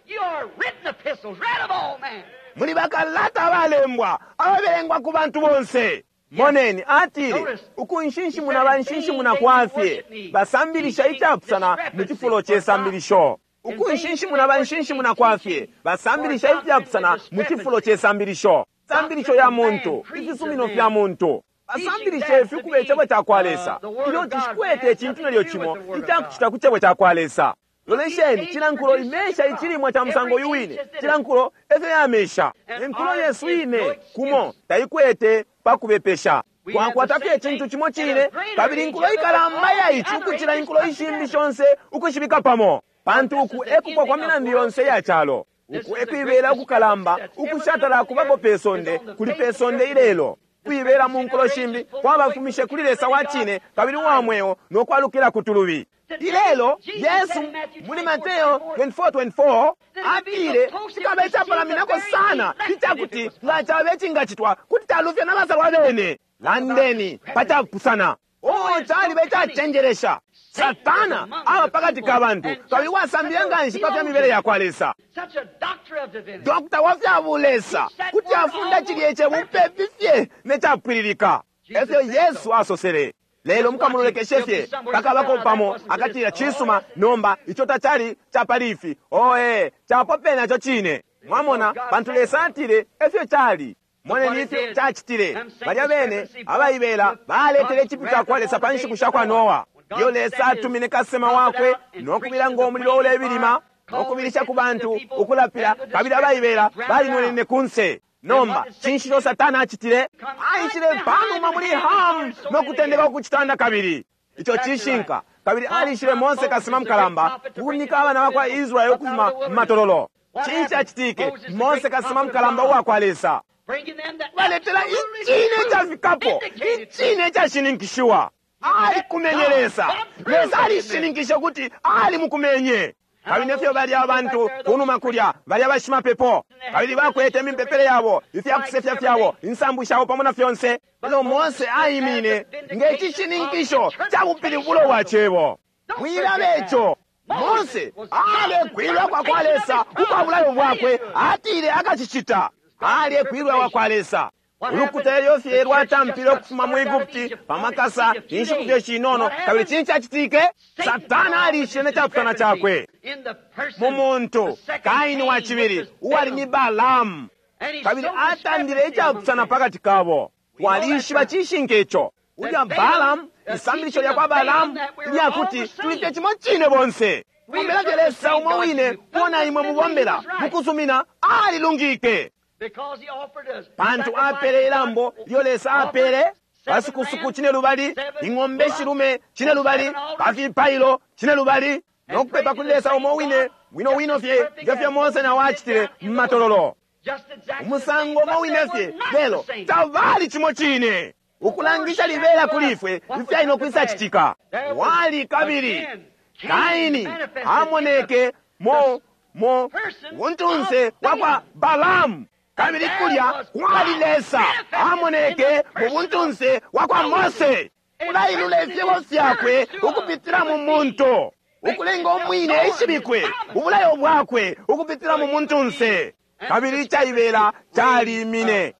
Muli bakalata abalembwa ababelengwa ku bantu bonse. Moneni, atile ukunshinshimuna banshinshimuna kwafye, basambilisha icapusana mu cifulo ce sambilisho. Ukunshinshimuna banshinshimuna kwafye, basambilisha ifyapusana mu cifulo ce sambilisho. Sambilisho ya muntu, ifisumino fya muntu. Basambilisha ifi ukuba icebo ca kwa Lesa, ilyo cishikwete icintu nelyo cimo icakucita ku cebo ca kwa Lesa. Lolesheni, cila nkulo imesha icilimwa ca musango uyu wine, cila nkulo efyo yamesha. Inkulo yesu ine kumo taikwete pakubepesha. Twakwata fye icintu cimo cine, kabili inkulo ikalamba ya ici ukucila inkulo ishimbi shonse ukushibika pamo, pantu uku ekupwa kwa milandu yonse ya calo. Uku ekwibela ukukalamba ukushatala kubapo pe sonde kuli pe sonde ilelo. Kwibela mu nkulo shimbi kwabafumishe kuli Lesa wa cine kabili uwa mweo no kwalukila ku tulubi. Ilelo Yesu muli Mateo twenty-four twenty-four atile cikaba icapalaminako sana icakuti nga cabe icingacitwa kuti calufya na basalwa bene. Landeni pacapusana. Oh, caliba icacenjelesha. Satana aba pakati ka bantu kabili wasambile nganshi pa fya mibele ya kwa Lesa. Dokta wa fya bulesa kuti afunda cilya icebo mupepi fye ne capwililika. Efyo Yesu asosele. Lelo mukamulolekeshe fye pakabako pamo akatila cisuma, nomba ico tacali capali ifi. Oe, capo pene naco cine. Mwamona, pantu Lesa atile efyo cali. Moneni ifyo cacitile. Balya bene abaibela baletele icipyu ca kwa Lesa pa nshiku sha kwa Noa. Iyo Lesa atumine kasema wakwe nokubila ngo mulilo ulebilima nokubilisha ku bantu ukulapila, kabili abaibela balinwenene kunse. Nomba cinshi ico Satana acitile? Aishile panuma muli Hamu nokutendeka ukucitanda kabili. Ico cishinka. Kabili alishile Mose kasema mukalamba kunika abana bakwa Israeli ukufuma mu matololo. Cinshi acitike? Mose kasema mukalamba uwa kwa Lesa baletela icine icafikapo, icine icashininkishiwa. Alikumenye Lesa. Lesa alishininkisha ukuti alimukumenye. Kabili nefyo balya abantu kunuma kulya balya bashimapepo, kabili bakwete imipepele yabo, ifyakusefya fyabo, insambu shabo pamo na fyonse. Lelo Mose aimine nge cishininkisho ca bupilibulo bwa cebo. Mwilabe ico. Mose alekwilwa kwa kwa Lesa ukwa bulayo bwakwe, atile akacicita. Alekwilwa kwa Lesa. Ulukuta elyo fye lwatampile ukufuma mu Egupti pamakasa inshiku fye shinono, kabili cinshi cacitike? Satana alishile ne capusana cakwe mu muntu Kaini wa cibili uwali ni Balaamu, kabili atandile icapusana pakati kabo. Twalishiba cishinka ico. Ulya Balaamu, isambilisho lya kwa Balaamu lyakuti tuli fye cimo cine bonse. Mubombela fye Lesa umo wine uo imwe mubombela mukusumina, alilungike. Pantu apele ilambo lyo Lesa apele basukusuku cine lubali, ing'ombe shilume cine lubali, pafipailo cine lubali, nokupepa kuli Lesa umo wine wino wino fye ngefyo Mose nawo acitile mu matololo. Umusango umo wine fye, lelo tabali cimo cine. Ukulangisha libela kuli ifwe ifyali nokwisa citika. Wali kabili Kaini amoneke mo mo buntunse wakwa Balaamu, kabili kulya kwali Lesa amoneke mu buntunse wakwa Mose. Ulailula ifyebo fyakwe ukupitila mu muntu, ukulenga umwine ishibikwe ubulayo bwakwe ukupitila mu muntunse. Kabili icaibela calimine.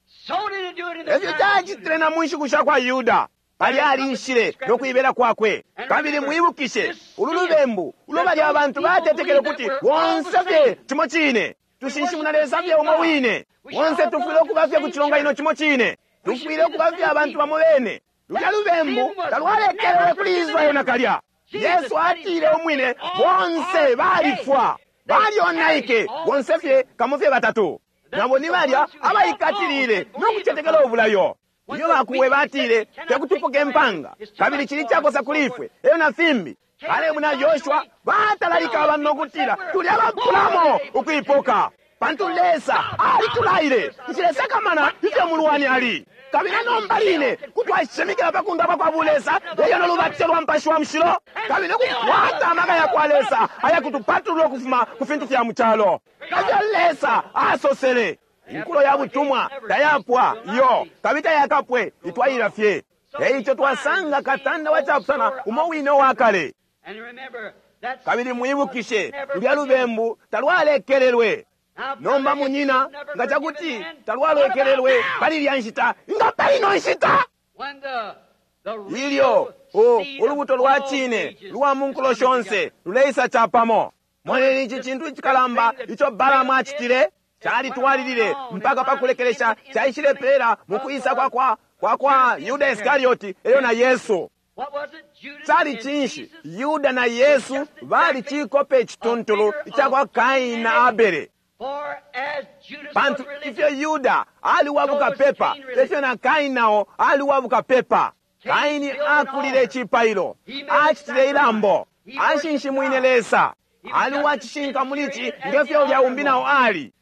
Efyo cacitile na mu nshiku sha kwa Yuda. Pali aliishile no kuibela kwakwe. Kabili mwibukishe ulu lubembu ulo balya abantu batetekele kuti bonse fye cimo cine, tushinshimuna Lesa fye umo wine, bonse tufwile ukuba fye ku cilonganino cimo cine, tufwile ukuba fye abantu bamo bene. Lulya lubembu talwalekelelwe kuli Israeli nakalya. Yesu atile umwine, bonse balifwa, balyonaike, bonse fye kamo fye batatu. Nabo ni balya abaikatilile no kucetekela ubulayo. Iyo bakuwe batile tekutupoke empanga, kabili chili chakosa kuli ifwe, eyo na fimbi. Kalebu na Yoshua batalalika abantu nokutila tuli abapulamo ukuipoka, pantu Lesa alitulaile nchilesakamana ifyo mulwani ali. Kabili nomba line kutwashimikila pa kundapwa kwa bulesa eyo nolubatilo lwa Mupashi wa Mushilo, kabili nokukwata amaka ya kwa Lesa ayakutupatulula ukufuma ku fintu fya mu calo. Efyo Lesa asosele. Inkulo ya butumwa tayapwa iyo, kabili tayakapwe, itwalila fye. Eico twasanga katanda wa chapusana umo wine wa kale. Kabili mwibukishe lulya lubembu talwalekelelwe. Nomba munyina nga chakuti talwalekelelwe pali lya nshita, nga pali ino nshita ilyo ulubuto lwa chine lwa mu nkulo shonse luleisa chapamo. Moneni ici cintu icikalamba ico Balamu acitile. Chalitwalilile mpaka pakulekelesha chaishilepela mu kuisa kwa kwa kwa kwa Yuda Iskarioti eyo na Yesu. Chali chinshi Yuda na Yesu bali chikope chituntulu icha Kaini na Abele. Pantu ifyo Yuda aliwabuka pepa, efyo na Kaini nao aliwabuka pepa. Kaini akulile chipailo, achitile ilambo, ashinshimwine Lesa, aliwachishinka mulichi ngefyo ulya umbi nao ali.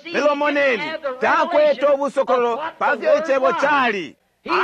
Lelo moneni takwete obusokololo pafyo ichebo chali.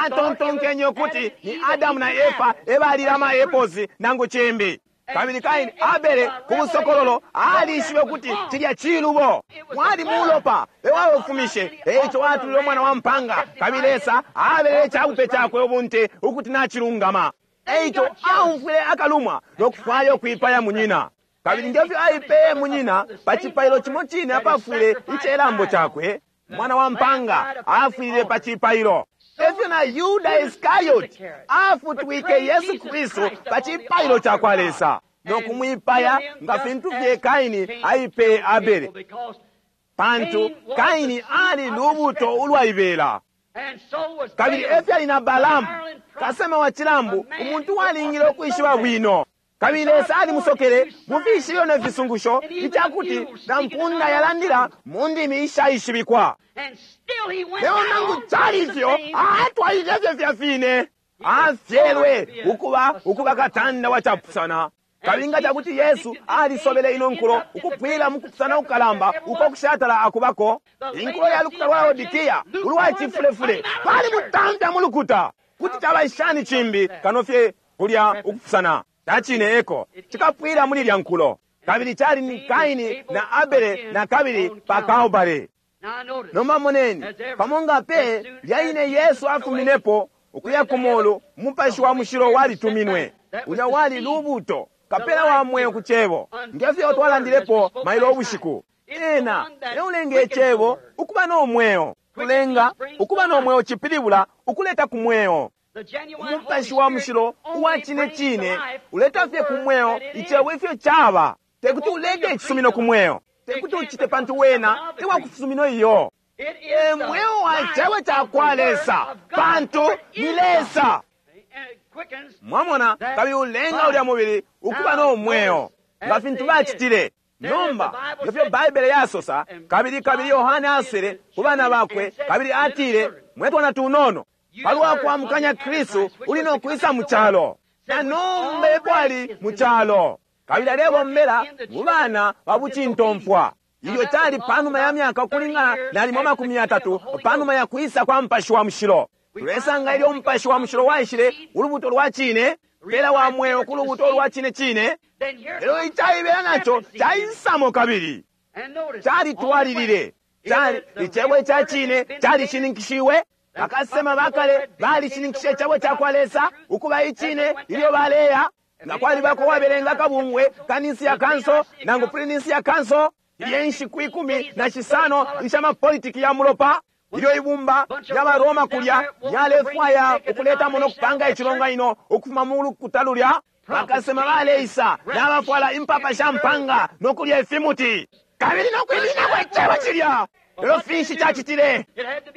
Atontonkenye ukuti ni Adamu na Efa ebalile ama-eposi nangu chimbi. Kabili Kaini Abele ku busokololo alishibe ukuti chilya chilubo mwali mulopa ewaofumishe, eico atulile omwana wa mpanga. Kabili Lesa abele echabupe chakwe ubunte ukuti nachilungama. Eico aumfwile akalumwa nokufwaya okwipaya munyina. Kabili ngefyo aipeye munyina pa chipailo chimo chine apafwile ichelambo chakwe, mwana wa mpanga afwile pa chipailo. Efyo na Yuda Iskarioti afutwike Yesu Kristu pa chipailo cha kwa Lesa nokumwipaya nga fintu fye Kaini aipeye Abele, pantu Kaini ali lubuto ulwaibela. Kabili efyo ali na Balamu kasema wa chilambu, umuntu walingile okwishiba bwino. Kabili Lesa alimusokele mu fishibilo ne fisungusho ichakuti na mpunda yalandila mu ndimi ishaishibikwa. Lelo nangu chali ifyo atwalile fye fya fine, afyelwe ukuba ukuba katanda wa chapusana. Kabili nga chakuti Yesu alisobele ino nkulo ukupwila mu kupusana kukalamba uko kushatala akubako, inkulo ya lukuta lwa Laodikia ulwa chifulefule bali mutamfya mu lukuta kuti chaba ishani chimbi kano fye kulya ukupusana. Tachine eko chikapwila muli lya nkulo. Kabili chali ni Kaini na Abele na kabili pa Kalbale. Nomba moneni pamo nga pe lyaine Yesu afuminepo ukuya ku mulu, Mupashi wa Mushilo walituminwe ulya wali lubuto kapela wa mweo ku chebo ngefyo twalandilepo mailo ubushiku. Ena eulenga echebo ukuba no mweo. Kulenga ukuba no mweo chipilibula ukuleta ku mweo. Umupashi wa Mushilo uwa chine chine uleta fye ku mweo ichebo ifyo chaba. Tekuti ulete ichisumino ku mweo, tekuti uchite pantu wena tewakusumino iyo. E mweo wa chebo cha kwa Lesa, pantu ni Lesa. Mwamona, kabili ulenga ulya mubili ukuba no mweo nga fintu bachitile. Nomba ngefyo Baibele yasosa, kabili kabili Yohane asele ku bana bakwe, kabili atile mwetwana tunono palwa kwamukanya Kristu uli nokwisa mu chalo, na nomba epo ali mu chalo. Kabili alebombela mu bana ba bucintomfwa. Ilyo chali panuma ya myaka ukulingana nalimo makumi yatatu panuma ya kwisa kwa Mupashi wa Mushilo. Tulesanga ilyo Mupashi wa Mushilo waishile ulubuto lwa chine, pela wa mweo ku lubuto lwa chine chine. Lelo ichaibela nacho chaisamo kabili chalitwalilile, chali ichebo cha chine chalishininkishiwe. Bakasema bakale balishininkishe icebo cha kwa Lesa ukuba ichine ilyo baleya. Nga kwalibako wabelenga kabungwe kanisi ya kanso nangu pulinisi ya kanso ilye nshiku ikumi na shisano isha mapolitiki ya mulopa. Ilyo ibumba lya Roma kulya lyalefwaya ukuletamo no kupanga icilonganino ukufuma mu lukuta lulya, bakasema baleisa nabafwala impapa sha mpanga no kulya ifimuti kabili no kwiminako icebo cilya. Lelo finshi cacitile?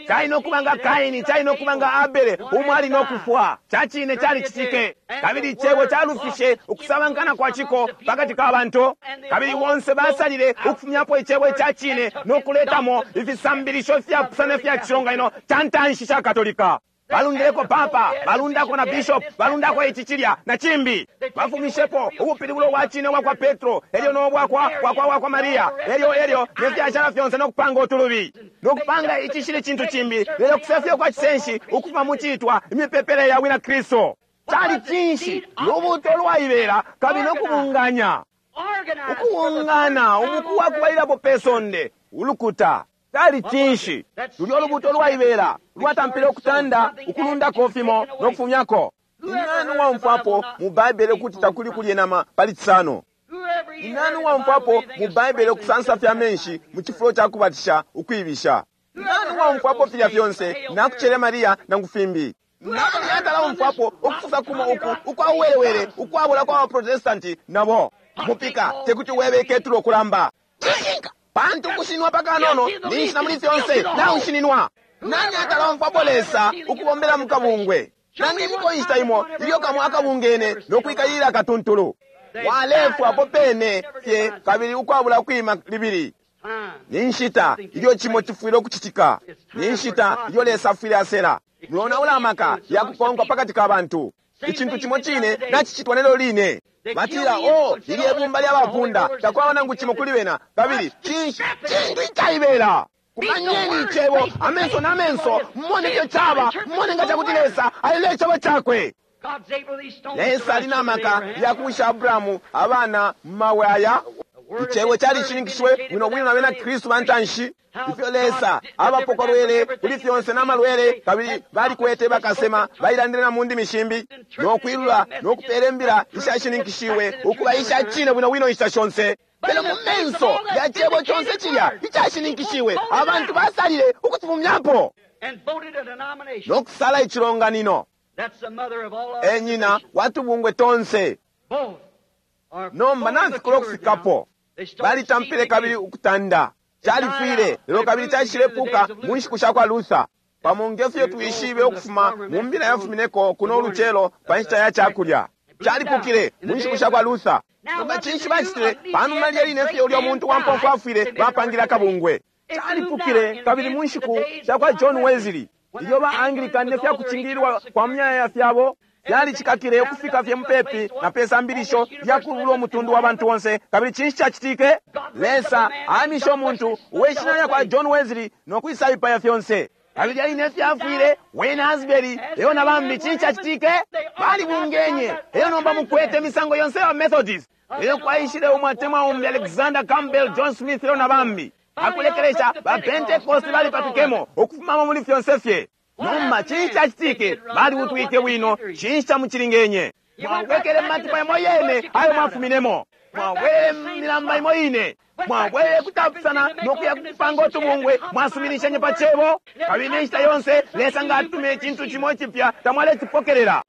Cali no kuba nga Kaini, cali no kuba nga Abele, umwe ali no kufwa. Cacine calicitike. Kabili icebo calufishe ukusabankana kwa ciko pakati ka bantu. Kabili bonse basalile ukufumyapo icebo icacine no kuletamo ifisambilisho fyapusana fya cilonganino ca ntanshi ca Katolika. Balundileko papa, balundako na bishop, balundako ici cilya na cimbi. Bafumishepo ubupilibulo bwa cine bwa kwa Petro, elyo no bwa kwa kwa kwa kwa Maria, elyo elyo ne fyashala fyonse no kupanga utulubi, no kupanga icishili cintu cimbi, lelo kusefya kwa cisenshi ukufuma mu citwa imipepele ya wina Kristo. Cali cinshi? Lubuto lwaibela kabili no kubunganya, ukubungana umuku wa kubalilapo pe sonde ulukuta. Cali cinshi? Lulyo lubuto lwaibela lwatampile ukutanda ukulundako fimo no kufumyako. Nani uwaumfwapo mu Baibele kuti takuli kulye nama pali Cisano? Nani uwaumfwapo mu Baibele ukusansa fya menshi mu cifulo ca kubatisha ukwibisha? Nani uwaumfwapo filya fyonse nakucele Maria nangu fimbi? Nani atalaumfwapo ukufusa kumo uku ukwa uwelewele ukwabula kwa Baprotestanti nabo? Mupika tekuti webe ketulo kulamba. Cishinka! Pantu kushinwa pakanono ninshi na muli fyonse naushininwa. Nani atalomfwapo Lesa ukubombela mu kabungwe? Nanginiko inshita imo ilyo kamwe akabungene no kwikalilila katuntulu. Walefwapo pene fye kabili ukwabula kwima libili. Ni nshita ilyo cimo cifwile ukucitika. Ni nshita ilyo Lesa afwile asela. Mulonaula amaka ya kukonkwa pakati ka bantu. Icintu cimo cine nacicitwa lelo line. Batila, oh, lilye bumba lya bapunda takwaba nangu cimo kuli bena. Kabili cinshi cintu icaibela? Kumanyeni icebo amenso na menso, mumone ifyo caba, mumone nga cakuti Lesa alile icebo cakwe. Lesa ali na maka ya kuwisha Abrahamu abana mu mabwe aya. Icebo calishininkishiwe bwino bwino na bena Kristu ba ntanshi. Ifyo Lesa abapokolwele kuli fyonse n'amalwele, kabili balikwete bakasema bailandile na mu ndimi shimbi, no kwilula no kupela imbila ishashininkishiwe ukuba ishacine bwino bwino inshita shonse. Lelo mu menso ya cebo conse cilya icashininkishiwe, abantu basalile ukucifumyapo no kusala icilonganino. E nyina watubungwe tonse. Nomba nafikula ukufikapo. Balitampile kabili ukutanda. Califwile, lelo kabili caishilepuka mu nshiku sha kwa Luther. Pamo ngefyo twishibe ukufuma mu mbila yafumineko kuno ulucelo pa nshita ya cakulya. Calipukile mu nshiku sha kwa Luther. Nomba cinshi bacitile panuma lye line fye ulya muntu wa mpomfu afwile, bapangile akabungwe. Calipukile kabili mu nshiku sha kwa John Wesley, ilyo ba Anglican ne fya kucingililwa kwa myaya fyabo fyalicikakile ukufika fye mupepi na pe sambilisho lya kulubula umutundu wa bantu onse. Kabili cinshi cacitike? Lesa amishe umuntu uwe shina lya kwa John Wesley no kwisaipaya fyonse. Kabili aline fyafwile Wayne Asbury eyo na bambi. Cinshi cacitike? Balibungenye eyo nomba mukwete imisango yonse ya Methodist. Eyo kwaishile umwatemwa umbi Alexander Campbell, John Smith eyo na bambi. Akulekelesha ba Pentecost balipatukemo ukufumamo muli fyonse fye. Nomba cinshi cacitike? Baliutwike bwino. Cinshi camucilingenye? Mwabwekele mumatipa yamo yene ayo mwafuminemo. Mwabwelele milamba imo ine. Mwabwelele kutapusana no kuya kupanga utubungwe. Mwasuminishenye pa cebo. Kabili ne nshita yonse Lesa nga atumile icintu cimo icipya tamwalecipokelela.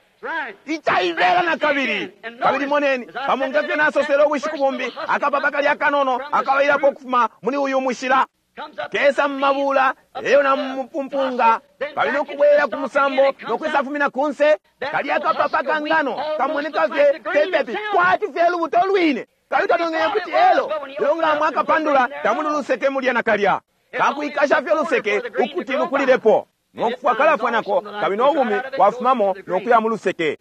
Icaibela na kabili. Kabili moneni, pamo ngefyo nasosele ubushiku bumbi, akapapa kali akanono akabailapo ukufuma muli uyu mushila. Kesa mumabula eyo na mupumpunga, kabili nokubwera ku musambo nokwisafumina kunse. Kali akapapa kangano kamoneka fye pepepi kwati fye lubuto lwine. Kabili twanongenya kuti elo lelo nga mwakapandula tamuli luseke mulya na kalya. Kakwikasha fye luseke ukuti lukulilepo nokufwa kalafwa nako, kabili nobumi bwafumamo nokuya mu luseke.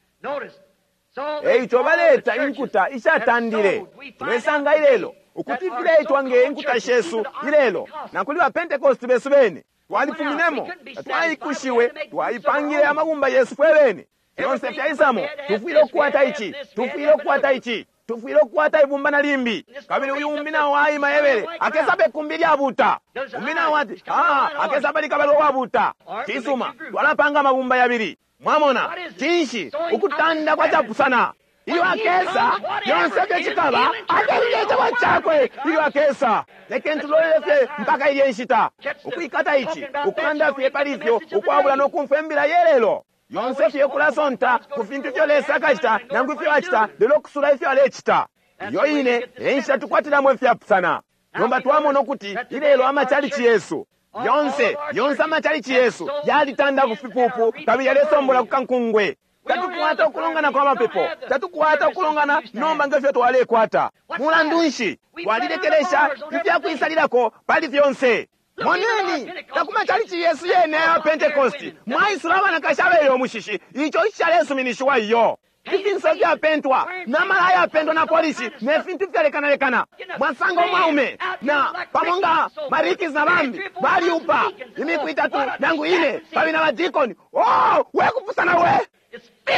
Eico baleta inkuta ishatandile. Tulesanga ilelo ukuti fileitwa nge inkuta shesu ilelo, na kuli ba Pentecost besu bene twalifuminemo, twaikushiwe, twaipangile amabumba yesu fwe bene. Fyonse fyaisamo, tufwile ukukwata ici, tufwile ukukwata ici, tufwile ukukwata ibumba na limbi. Kabili uyu umbi nawo aima ebele akesaba ikumbi lyabuta. Umbi nawo ati ah, akesaba likabalo wabuta. Cisuma, twalapanga amabumba yabili. Mwamona cinshi? Ukutanda kwacapusana. Ilyo akesa, yonse fye cikaba akelule icebo cakwe ilyo akesa. Lekeni tulolele fye mpaka ilye nshita. Ukwikata ici, ukulanda fye pali ifyo, ukwabula no kumfwa imbila yelelo. Yonse fye kulasonta ku fintu ifyo Lesa akacita nangu ifyo acita, lelo kusula ifyo alecita. Iyo ine e nshita tukwatilamo ifyapusana. Nomba twamona ukuti ilelo amachalichi yesu yonse yonse amachalichi yesu yalitanda ku fipupu kabili yalesombola ku kankungwe. Tatukwata ukulongana kwa mapepo, tatukwata ukulongana nomba ngefyo twalekwata. Mulandu nshi twalilekelesha ifyakwisalilako pali fyonse? Moneni takumachalichi yesu yene ya Pentecost mwaisula abanakashi abele omushishi, ico icalesuminishiwa iyo. Ifinso fyapentwa namala ayapentwa na polisi ne fintu fyalekanalekana. Mwasanga umwaume na pamo nga marikis na bambi baliupa imiku itatu nangu ine kabili na badikoni. Oh, wekupusana we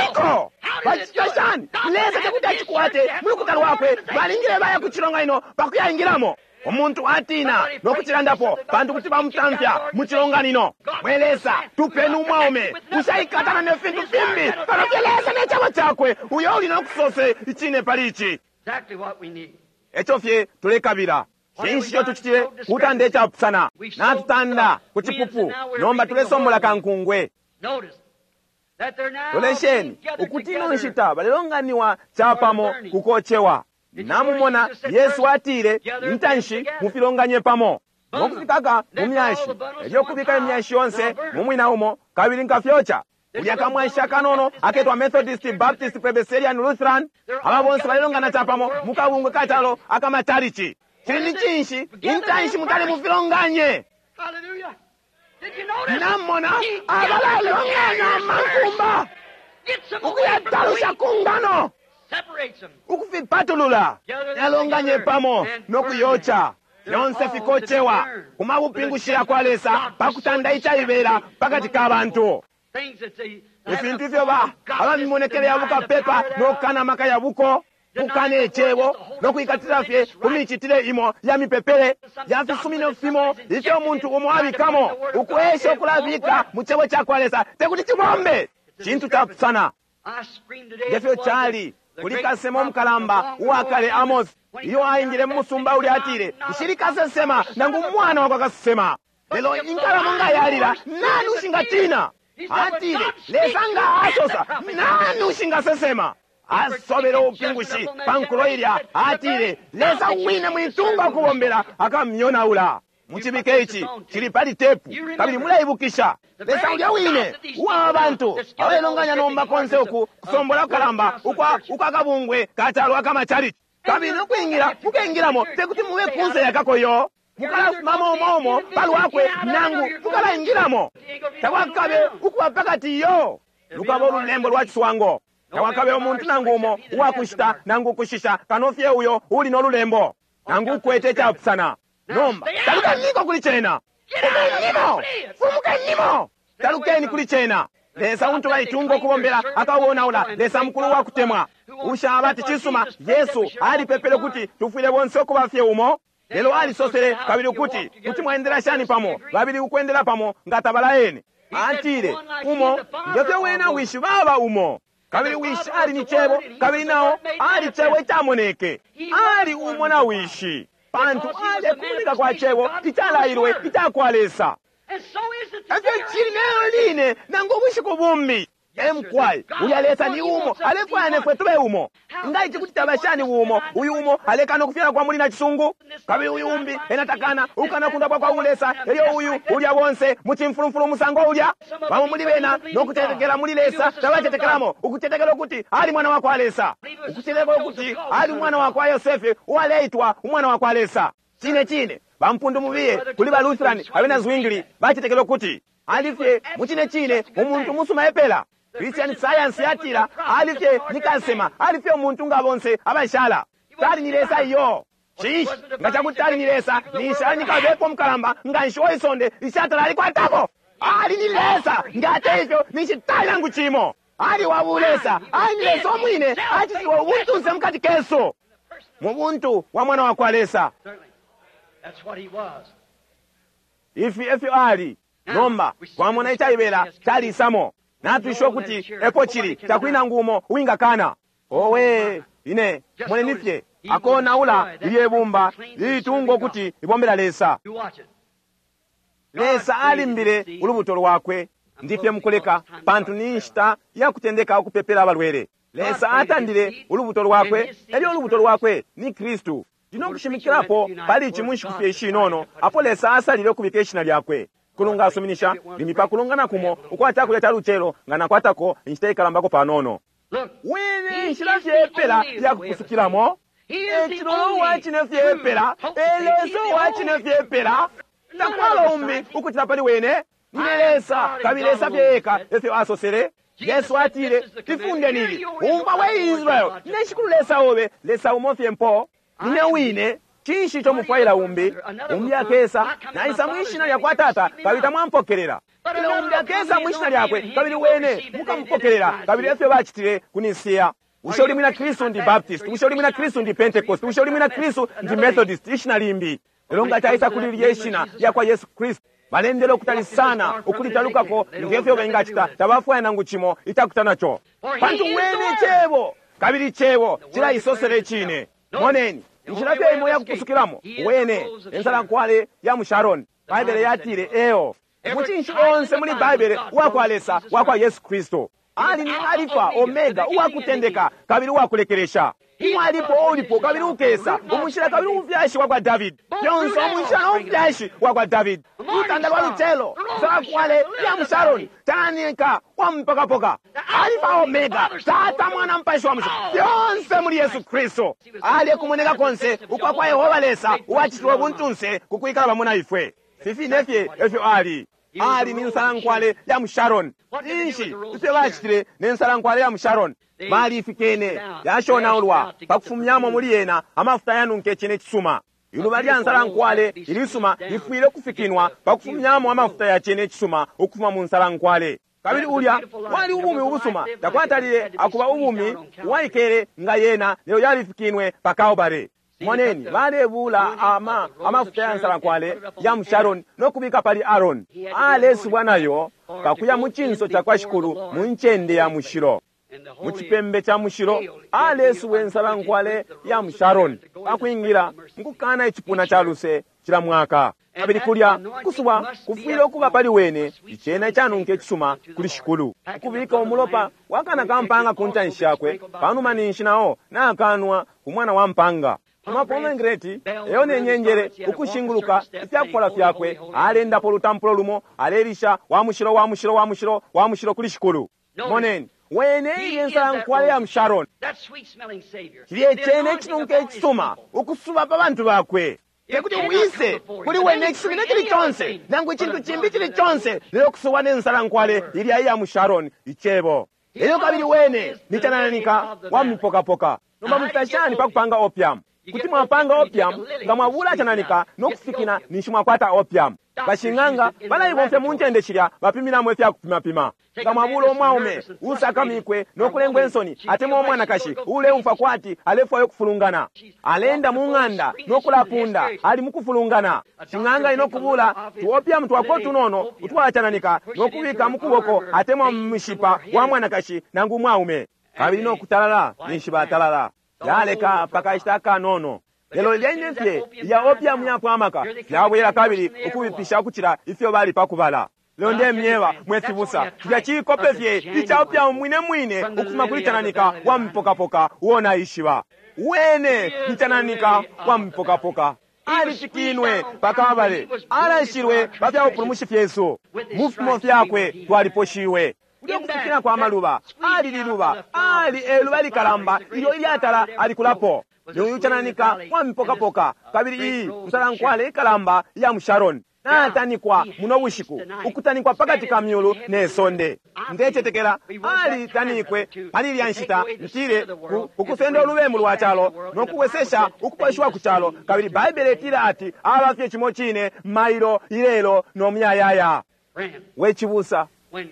iko bacita shani? Lesa tekuti acikwate mulukuta lwakwe, balingile baya ku cilonganino pakuyaingilamo. Umuntu atina no kucilandapo pantu kuti bamutamfya mu cilonganino. Mwe Lesa, tupeni umwaume ushaikatana ne fintu fimbi pano fye Lesa ne cebo cakwe, uyo uli no kusose icine pali ici. Eco fye tulekabila. Cinshi ico tucitile kutanda icapusana? Natutanda ku cipupu, nomba tulesombola kankungwe. Lolesheni ukuti ino nshita balelonganiwa capamo kukocewa. Namumona Yesu atile intanshi mufilonganye pamo nokufikaka mu myashi, elyo kubika imyashi yonse mu mwina umo kabili nkafyoca. Ulya kamwanshi akanono aketwa Methodist, Baptist, Presbyterian, Lutheran, aba bonse balelongana capamo mu kabungwe kacalo akamachalichi. Cili ni cinshi? Intanshi mutali mufilonganye. Namona abalalonganya amankumba ukuyatalusha kungano, ukufipatulula, yalonganye pamo nokuyoca. Yonse fikocewa kumabupingushi kwa Lesa pakutanda icaibela pakati ka bantu. Ifintu ifyo ba abamimonekele ya bukapepa nokukana amaka ya buko, kukana icebo nokwikatila fye ku micitile imo ya mipepele ya fisumino fimo ifyo umuntu umo abikamo, ukuesha ukulabika mu cebo ca kwa Lesa tekuti cibombe. Cintu capusana. Ngefyo cali kuli kasema omukalamba uwakale Amos, iyo aingile mu musumba uli atile nshili kasesema nangu umwana wakwa kasesema, lelo inkalamo nga yalila nani ushingatina? Atile Lesa nga asosa nani ushingasesema? Asobele ubupingushi pankulo ilya, atile Lesa wine mwitunga ukubombela akamyonaula. Mucibike ici cili pali tepu kabili muleibukisha. Lesa ulya wine uwa bantu abalelonganya nomba konse uku kusombola kukalamba ukwa ukwakabungwe kacalo akamachalichi, kabili nokwingira mukengilamo tekuti mube kunse yakakoyo, mukalafumamo umo palwakwe nangu mukalaingilamo. Takwakabe ukuba pakati iyo lukaba ululembo lwa ciswango. Takwakabe umuntu nangu umo uwakushita nangu ukushisha kano fye uyo uli nolulembo nangu ukwete icapusana. Nomba talukeniko kuli cena, fumenimo, fumukenimo, talukeni kuli cena. Lesa untu baitunga ukubombela akawonaula. Lesa mukulu wa kutemwa ushaba ati cisuma. Yesu alipepele kuti tufwile bonse ukuba fye umo, lelo alisosele kabili ukuti kuti mwaendela shani pamo babili ukwendela pamo nga tabalaene. Atile umo ngefyo wena wishi baba umo, kabili wishi ali ni cebo, kabili nao ali cebo icamoneke. Ali umo na wishi pantu alekumoneka kwa cebo icalailwe icakwa Lesa. Efyo cili lelo line nangu ubushiku bumbi. Emkwai ulya Lesa ni umo, alefwaya nefwe tube umo. Nga ici kuti taba shani umo? Uyu umo alekana ukufyala kwa muli na cisungu, kabili uyu umbi enatakana ukana kundapwa kwa ulesa, elyo uyu ulya bonse mu cimfulumfulu umusango ulya. Bamo muli bena nokutetekela muli Lesa tabatetekelamo, ukutetekela ukuti ali mwana wa kwa Lesa, ukutetekela ukuti ali mwana wa kwa Yosefe uwaleitwa umwana wa kwa Lesa. Cine cine bampundu mubiye kuli ba Lutheran abena Zwingli batetekela ukuti alifye mu cine cine umuntu musuma epela. Christian Science yatila alifye ni kasema, alifye umuntu nga bonse abashala. Tali ni Lesa iyo. Cinshi nga cakuti tali ni Lesa, ninshi ali ni kabepo mukalamba nga nshi oisonde ishatala alikwatako. Ali ni Lesa nga ate ifyo ninshi tali nangu cimo. Ali wa bulesa, ali ni Lesa omwine acitiwa ubuntunse mukati kesu mu buntu wa mwana wa kwa Lesa. Ifi efyo ali nomba twamona icaibela calisamo. Natwisha ukuti epo cili takuli nangu umo uwingakana. Owe, ine moneni fye akonaula ilye bumba lilitunga ukuti libombela Lesa. Lesa alimbile ulubuto lwakwe. Ndifye mukuleka, pantu ni nshita ya kutendeka ukupepela abalwele. Lesa atandile ulubuto lwakwe, elyo ulubuto lwakwe ni Kristu. Ndino kushimikilapo pali ici mu nshiku fye ishinono, apo Lesa asalile ukubika ishina lyakwe. Kulunga asuminisha limbi pa kulongana kumo ukwa cakulya ca lucelo nga nakwatako inshita ikalambako panono. Wene nshila fye epela ya kupusukilamo, e cilolo uwa cine fye epela, e Lesa uwa cine fye epela. Takwaba umbi ukucila pali wene. Nine Lesa, kabili Lesa fye eka, efyo asosele. Yesu atile, ifunde nili, umva we Israel, nine Shikulu Lesa obe, Lesa umo fye mpo. Nine wine, cinshi ico mufwaila umbi? Umbi akesa, naisa mwishina lya kwa Tata, kabili tamwampokelela. Lelo umbi akesa mwishina lyakwe, kabili wene mukamupokelela, kabili efyo bacitile ku Nisiya. Bushe uli mwina Kristu ndi Baptist? Bushe uli mwina Kristu ndi Pentecost? Bushe uli mwina Kristu ndi Methodist? Ishina limbi. Lelo nga caisa kuli lilye shina lya kwa Yesu Kristu, balendele ukutali sana ukulitalukako ngefyo bengacita, tabafwaya nangu cimo icakuta naco. Pantu wene Cebo, kabili Cebo cilaisosele icine. Moneni, inshila fye imo yakupusukilamo, wene ensalankwale ya mu Sharon. Baibele yatile eo. Mucinshi onse muli Baibele uwakwa Lesa, wakwa Yesu Kristu. Ali ni Alifa, Omega, uwakutendeka kabili uwakulekelesha. Umwalipo, ulipo, kabili ukesa, umushila kabili umufyashi wakwa David. Fyonse umushila no mufyashi wakwa David. Lutanda lwa lucelo, nsalankwale ya mu Sharon, tanika wa mpakapoka. Alifa, Omega, Tata, Mwana, Mpashi wa Mushilo, fyonse muli Yesu Kristu. Ali kumoneka konse ukwa kwa Yehova Lesa uwacitilwe buntunse ku kwikala pamo na ifwe. Fifine fye efyo ali. Ali ni nsalankwale ya mu Sharon. Inshi ifyo bacitile ne nsalankwale ya mu Sharon? Balifikene yashonaulwa pakufumyamo muli yena amafuta yanunke cine cisuma. Iluba lya nsalankwale ilisuma lifwile ukufikinwa pakufumyamo amafuta ya cine cisuma ukufuma mu nsalankwale. Kabili ulya wali ubumi ubusuma, takwatalile akuba ubumi uwaikele nga yena, lelo yalifikinwe pa Kalbale. Moneni, balebula ama amafuta ya nsalankwale ya mu Sharon no kubika pali Aaron. Alesubwa nayo pakuya mu cinso ca kwa Shikulu mu ncende ya mushilo. Mu cipembe ca mushilo alesubwa ensalankwale ya mu Sharon pakwingila mukukana icipuna ca luse cila mwaka. Kabili kulya kusubwa kufwile ukuba pali wene icena icanunka icisuma kuli Shikulu. Ukubika umulopa wakana ka mpanga ku ntanshi yakwe, panuma ninshi nao nakanwa ku mwana wa mpanga. Amapomegranate eyo ne nyenjele ukushinguluka ifyakufola fyakwe, alendapo ulutampulo lumo, alelisha wa mushilo, wa mushilo, wa mushilo, wa mushilo kuli Shikulu. Moneni, wene ilye nsalankwale ya mu Sharon, cilye cene icinunka icisuma ukusuba pa bantu bakwe. Tekuti wise kuli wene icisumino cili conse nangu icintu cimbi cili conse, lelo kusuba ne nsalankwale ilya iya mu Sharon, icebo. Elyo kabili wene ni canananika wa mipokapoka. Nomba mucita shani pa kupanga opium? Kuti mwapanga opium nga mwabula cananika no kufikina ninshi mwakwata opium. Bashing'anga balaibomfya mu ncende shilya bapiminamo ifya kupimapima. Nga mwabula umwaume usakamikwe no kulengwa insoni, atemwa umwanakashi uleumfwa kwati alefwaya ukufulungana, alenda mu ng'anda no kulapunda ali mu kufulungana, shing'anga ino kubula tuopium twako tunono utwacananika no kubika mu kuboko atemwa mu mishipa wa mwanakashi nangu umwaume, kabili no kutalala ninshi batalala yaleka pakashita akanono. Lelo lyene fye ya opium yapwamaka yabwela kabili ukubipisha ukucila ifyo bali pakubala. Lelo ndemyeba mwe fibusa, filya cikope fye ica opium mwine mwine ukufuma kuli cananika wa mipokapoka uo naishiba. Wene ni cananika wa mipokapoka. Alifikinwe pakabale, alashilwe pa fya bupulumushi fyesu, mu fimo fyakwe twaliposhiwe. Kulya kufikina kwa maluba, ali liluba, ali eluba likalamba ilyo ilyatala alikulapo. Uyu cananika wa mipokapoka, kabili iyi nsalankwale ikalamba iya mu Sharon natanikwa muno bushiku, ukutanikwa pakati ka myulu ne sonde. Ndecetekela alitanikwe pali ilya nshita, ntile ukusenda ulubembu lwa calo no kuwesesha ukuposhiwa ku calo. Kabili Baibele itila ati aba fye cimo cine mailo ilelo no muyayaya. We cibusa,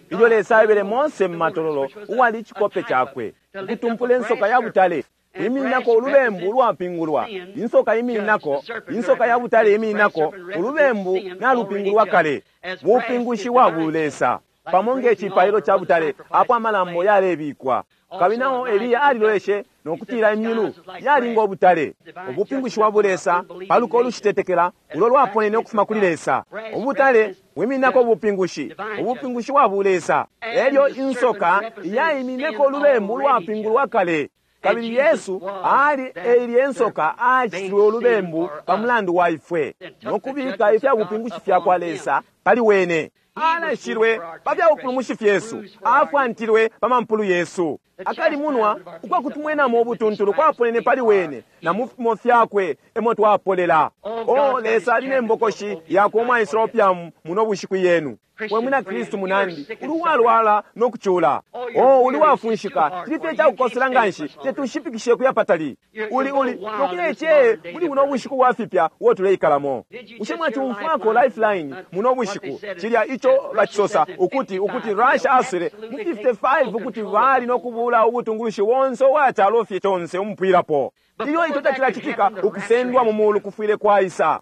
ilyo Lesa aebele Mose mu matololo uwali icikope cakwe ukutumpula insoka ya butale imininako ulubembu ulwapingulwa, insoka imininako insoka ya butale imininako ulubembu nalupingulwa kale, bupingushi bwa bulesa. pamo nge cipailo ca butale apo amalambo yalebikwa. Kabili nao Eliya aliloleshe nokutila imyulu yali ngo butale. Ubupingushi bwa bulesa paluko olushitetekela ulo lwaponene ukufuma kuli Lesa. Ubutale bwimininako ubupingushi, ubupingushi bwa bulesa. Elyo insoka yaimineko ulubembu ulwapingulwa kale. Kabili Yesu ali eilye insoka acitilwe ulubembu pa mulandu wa ifwe, nokubika ifya bupingushi fya kwa Lesa pali wene. Alashilwe pa fya bupulumushi fyesu, afwantilwe pa mampulu yesu. Akalimunwa ukwakutumwenamo ubutuntulu kwaponene pali wene, na mu fipimo fyakwe emo twapolela. O Lesa ali ne mbokoshi yakwe umwaisula opiamu muno bushiku yenu. We mwina Kristu munandi, uli uwalwala no kucula. O uli wafunshika, cili fye cakukosela nganshi, tetushipikishe kuya patali. Uli uli nokuya iceye muli buno bushiku bwa fipya uo tuleikalamo. Bushe mwacumfwako Lifeline muno bushiku, cilya ico bacisosa ukuti ukuti Russia aswele mu fifty-five ukuti bali no kubula ubutungulushi bonse ubwa calo fye conse umupwilapo. Ilyo ico tacilacitika, ukusendwa mu mulu kufwile kwaisa.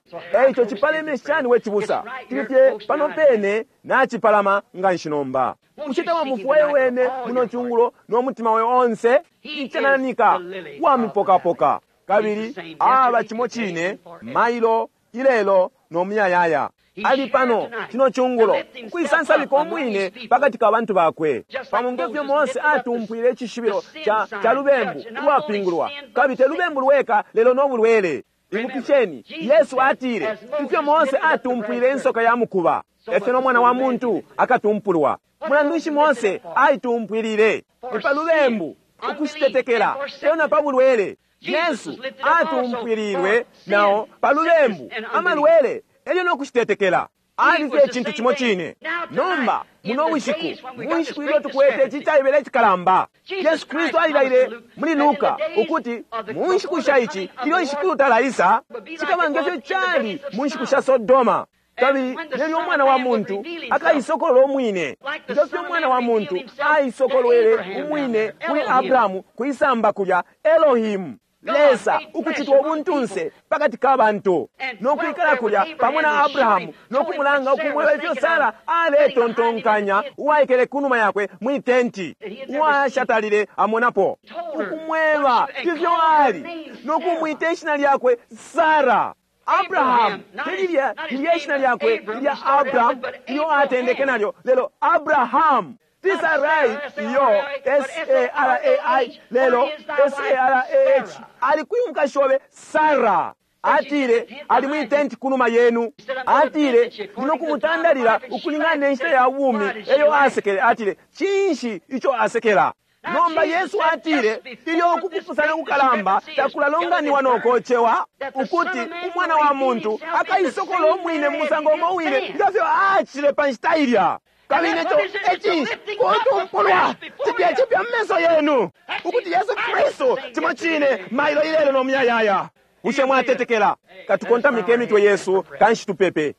Eico cipaleme shani we cibusa, cili fye pano pene nacipalama nganshi nomba. Bushe tawamufwaye wene muno cungulo no mutima we onse? Icananika wamipokapoka. Kabili aba cimo cine mailo ilelo no muyayaya. Ali pano cino cungulo ukwisansabika umwine pakati ka bantu bakwe, pamo ngefyo Mose atumpwile icishibilo ca, ca lubembu ulwapingulwa, kabili te lubembu lweka lelo no bulwele. Ibukisheni, Yesu atile ifyo Mose atumpwile insoka ya mukuba, efyo no mwana wa muntu akatumpulwa. Mulandu nshi Mose aitumpwilile? Ni pa lubembu, ukushitetekela, elyo na pa bulwele. Yesu atumpwililwe nao pa lubembu, amalwele, elyo no kushitetekela. Ali fye icintu cimo cine. Nomba muno bushiku, mu nshiku ilyo tukwete ici caibele icikalamba, Yesu Kristu alilaile muli Luka ukuti mu nshiku sha ici, ilyo ishikulu talaisa, cikaba ngefyo cali mu nshiku sha Sodoma. Kabili nelyo umwana wa muntu akaisokolola umwine, ngefyo umwana wa muntu aisokolwele umwine kuli Abrahamu kwisamba kulya, Elohimu, Lesa ukucitwa ubuntunse pakati ka bantu, no kwikala kulya pamo na Abrahamu, no kumulanga ukumweba ifyo Sara aletontonkanya, uwaikele kunuma yakwe mwi tenti, uwashatalile amonapo, ukumweba ifyo ali, no kumwita ishina lyakwe Sara. Abrahamu telilya lilya ishina lyakwe lilya Abrahamu ilyo atendeke nalyo, lelo Abrahamu. Sarai iyo S A R A I lelo S A R A H ali kwi mukashi obe Sara. Atile ali mwi tenti kunuma yenu. Atile ndino kumutandalila ukulingana ne nshita ya bumi eyo asekele. Atile cinshi ico asekela? Nomba Yesu atile ilyo ukupusana kukalamba takulalonganiwa nokocewa, ukuti umwana wa muntu akaisokola umwine mu musango umo wine ngefyo acile pa nshita ilya. Kabili neco ecinshi kutumpulwa cipya cipya mu meso yenu, ukuti Yesu Kristu cimo cine mailo ilelo no muyayaya. Bushe mwatetekela? Katukontamike imitwe yesu kanshi tupepe.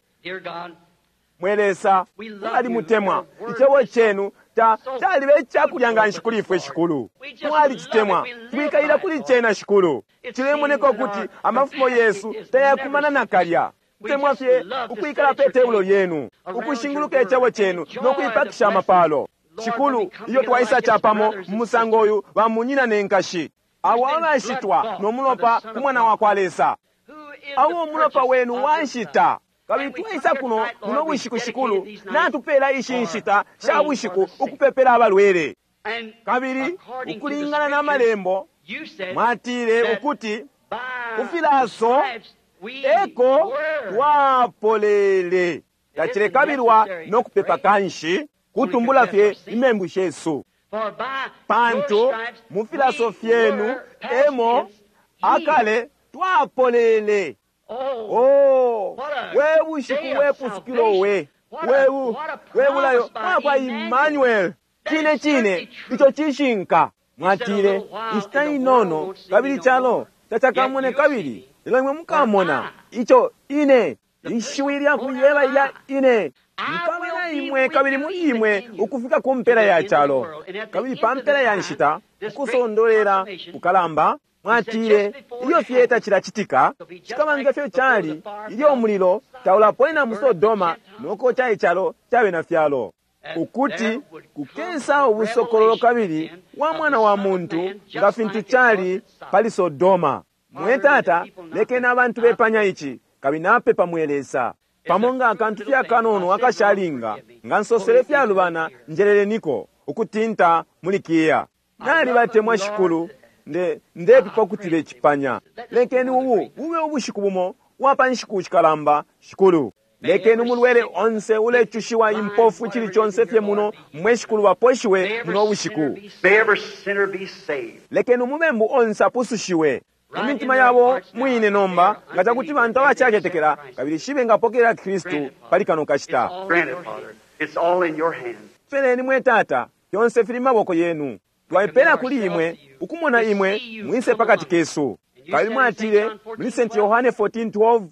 Mwe Lesa, mwalimutemwa icebo cenu ta calibe icakulya nganshi kuli ifwe Shikulu. Mwalicitemwa, twikalila kuli cena Shikulu. Cilemoneka ukuti amafumo yesu tayakumana nakalya. Kutemwa fye ukwikala pe tebulo lyenu, ukushinguluka icebo cenu no kuipakisha amapalo. Shikulu, iyo twaisa capamo mu musango uyu bamunyina ne nkashi, abo abashitwa no mulopa ku mwana wa kwa Lesa, abo umulopa wenu wanshita. Kabili twaisa kuno muno bushiku Shikulu, natupela ishi nshita sha bushiku ukupepela abalwele. Kabili ukulingana na malembo mwatile ukuti kufilaso eko twapolele. Tacilekabilwa no kupepa kanshi kutumbula fye imembu shesu, pantu mu filaso fyenu emo akale twapolele. Oh, we bushiku we pusukilo we webu webulayo mwakwa Emmanuel. Cine cine ico cishinka. Mwatile inshita inono kabili calo tacakamone kabili, lelo imwe mukamona ico ine ishiwi lya kuyeba ilya ine nkaba na imwe kabili muli imwe ukufika ku mpela ya calo. Kabili pa mpela ya nshita ukusondolela kukalamba mwatile ilyo fye tacilacitika cikaba ngefyo cali ilyo umulilo taulaponena mu Sodoma nokoca icalo cabe na fyalo. Ukuti kukesa ubusokololo kabili wa mwana wa muntu nga fintu cali pali Sodoma. Mwe Tata, lekeni abantu bepanya ici, kabili napepa mwe Lesa. Pamo nga akantu fye akanono akashalinga, nga nsosele fyalubana, njeleleniko ukutinta muli kiya. Nalibatemwa Shikulu, nde ndepepa ukuti becipanya. Lekeni ubu bube ubushiku bumo bwa nshiku shikalamba, Shikulu. Lekeni umulwele onse ulecushiwa impofu chili chonse fye muno mwe Shikulu baposhiwe muno bushiku. May every sinner be saved. Lekeni umubembu onse apusushiwe. Imitima yabo mwine nomba nga chakuti bantu abachachetekela kabili shibe ngapokelela Kristu pali kano kashita. Grant it, Father. It's all in your hands. Peleni mwe Tata, fyonse fili maboko yenu. Twaipela kuli imwe ukumona imwe mwise pakati kesu. Kabili mwatile muli Saint Yohane fourteen twelve,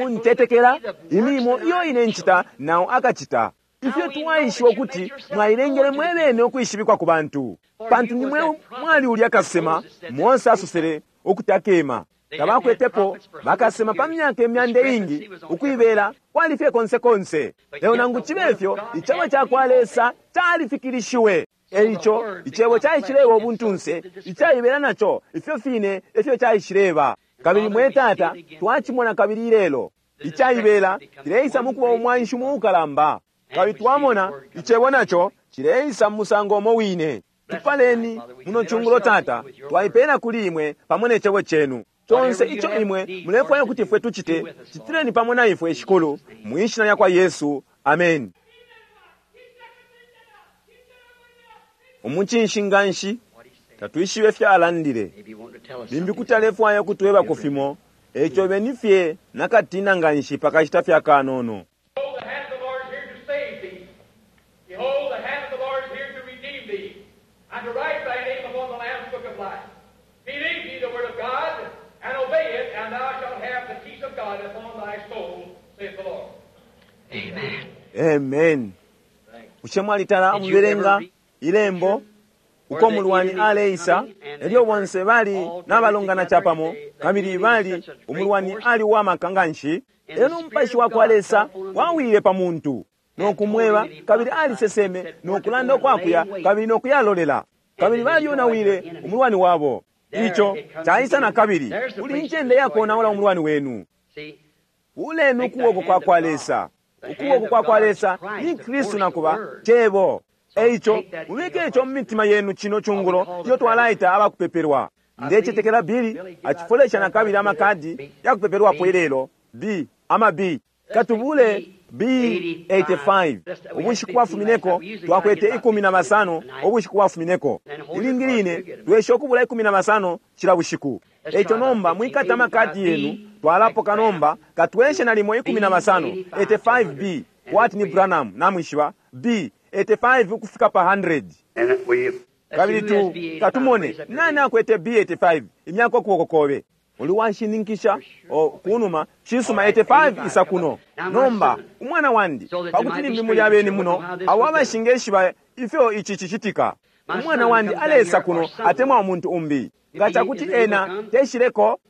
untetekela imilimo iyo ine nchita nawo akachita. Ifyo twaishiwa kuti mwailengele mwebene ukwishibikwa ku bantu. Pantu nimwe mwali ulya kasema Mose asosele ukuti akema. Tabakwetepo bakasema pa myaka imyanda ingi ukuibela kwali fye konse konse. Lelo nangu chibe ifyo icebo ca kwa Lesa califikilishiwe. Eico icebo caishileba ubuntunse icaibela naco ifyo fine efyo caishileba. Kabili mwe Tata twachimona kabili ilelo icaibela cileisa mukuba umwanshi muukalamba. Kabili twamona icebo naco cileisa mu musango umo wine. Tupaleni muno chungulo Tata, twaipela kuli imwe pamo ne cebo chenu. Chonse icho imwe mulefwaya kuti ifwe tuchite, chitireni pamo na ifwe Shikulu, mu ishina lya kwa Yesu. Amen. Umuchinshi nganshi tatwishibe fyalandile. Limbi kuti alefwaya kutwebako fimo, echo beni fye nakatina nganshi pakashita fya kanono. Behold, the hand of the Lord is here to save thee. Behold, the hand of the Lord is here to redeem thee, and to write thy name upon the Lamb's book of life. Believe ye the word of God, and obey it, and thou shalt have the peace of God upon thy soul, saith the Lord. Amen. Amen. Ushe mwalitala mubelenga ilembo uko mulwani aleisa elyo bonse bali n'abalongana chapamo kabili bali umulwani ali wamaka nganshi elo n'omupashi wa kwa Lesa wawile pa muntu n'okumweba kabili aliseseme n'okulanda okwakuya kabili n'okuyalolela kabili balionawile umulwani wabo. Icho chaisa na kabili kuli ncende yakonaula umulwani wenu. Ulenu ukuboko kwa kwa Lesa. Ukuboko kwa kwa Lesa ni Kristu nakuba chebo. Eicho mubike icho mu mitima yenu chino chungulo iyo twalaita abakupeperwa. Ndechetekela Bili achifolesha na kabili amakadi yakupeperwapo ilelo B ama B katubule B eighty-five. Ubushiku bwafumineko twakwete ikumi na basano ubushiku bwafumineko ilingiline twesha okubula ikumi na basano chila bushiku. Eicho nomba mwikata amakadi yenu twalapoka nomba katweshe nalimo ikumi na basano eighty-five B kwati ni Branham namwishiba B eighty-five ukufika pa hundred. And we Kabili tu katumone nani akwete B eighty-five imyaka okuboko kobe uli wanshininkisha o kunuma chisuma eighty-five isa kuno nomba umwana wandi pakuti nimbi muli abeni muno abo abashingeshiba ifyo ichi chichitika. Umwana wandi alesa kuno atemwa umuntu umbi nga chakuti ena teshileko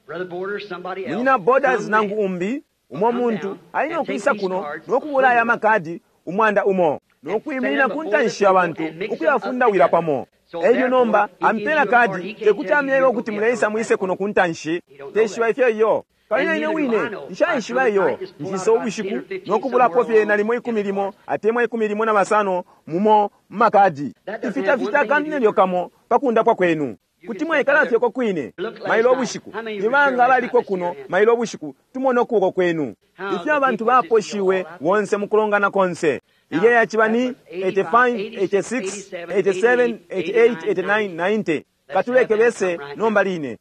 munyina Borders nangu umbi umo muntu alina okuisa kuno n'okubula aya makadi umwanda umo n'okuyimirira ku ntanshi abantu ukuyafundawira pamo. Elyo nomba ampela kadi tekuti amyebe okuti muleisa mwise kuno ku ntanshi teshiba ifyo iyo. Kabili ine wine nshaishiba iyo nshisa ubushiku n'okubulapo fye nalimo ikumi limo atemwa ikumi limo na basano mumo mumakadi ifitafita akantu nelyo kamo pakundapwa kwenu. Kuti mwaikala fye ko kwine mailo ubushiku nibanga abaliko kuno mailo ubushiku tumone ukuboko kwenu. Ifyo abantu baposhiwe bonse mukulongana konse. Ilye yachiba ni eighty-five, eighty-six, eighty-seven, eighty-eight, eighty-nine, ninety. Katuleke bese nomba line.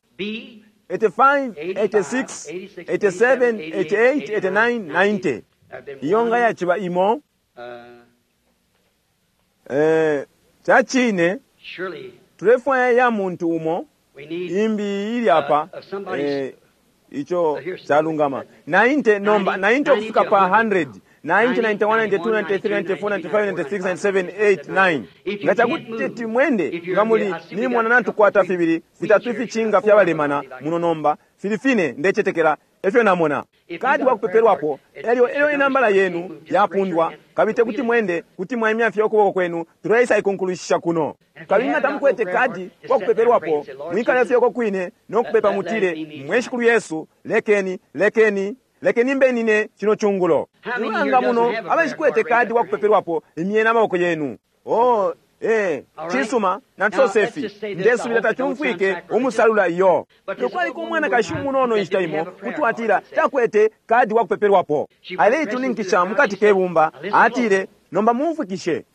eighty-five, eighty-six, eighty-seven, eighty-eight, eighty-nine, ninety. Iyo nga yachiba imo. Eh, chachine tulefwaya ya muntu umo imbi ili apa eh, icho chalungama ninety nomba ninety okufika pa hundred. ninety, ninety-one, ninety-two, ninety-three, ninety-four, ninety-five, ninety-six, ninety-seven, eight, nine. Nga chakuti timwende nga muli nimona natukwata fibili fitatu ifichinga fyabalemana muno nomba fili fine ndechetekela Efyo namona. Kadi wakupepelwapo, elyo elyo inambala yenu yapundwa, kabili tekuti mwende, kuti mwaimya fye ukuboko kwenu, tuleisa ikunkulushisha kuno. Kabili nga tamukwete kadi wakupepelwapo, mwikale fye uko kwine nokupepa mutile, mwe Shikulu Yesu, lekeni, lekeni, lekeni mbe nine chino chungulo. Nibanga muno abashikwete kadi wakupepelwapo, imyeni amaboko yenu. Oh, eh, chisuma natusose fi ndesubila tachumfwike umusalula iyo. Lukwaliko umwanakashi umunono inshita imo kutwatila takwete kadi wakupepelwapo, aleituninkisha mukati kebumba, atile nomba mumfwikishe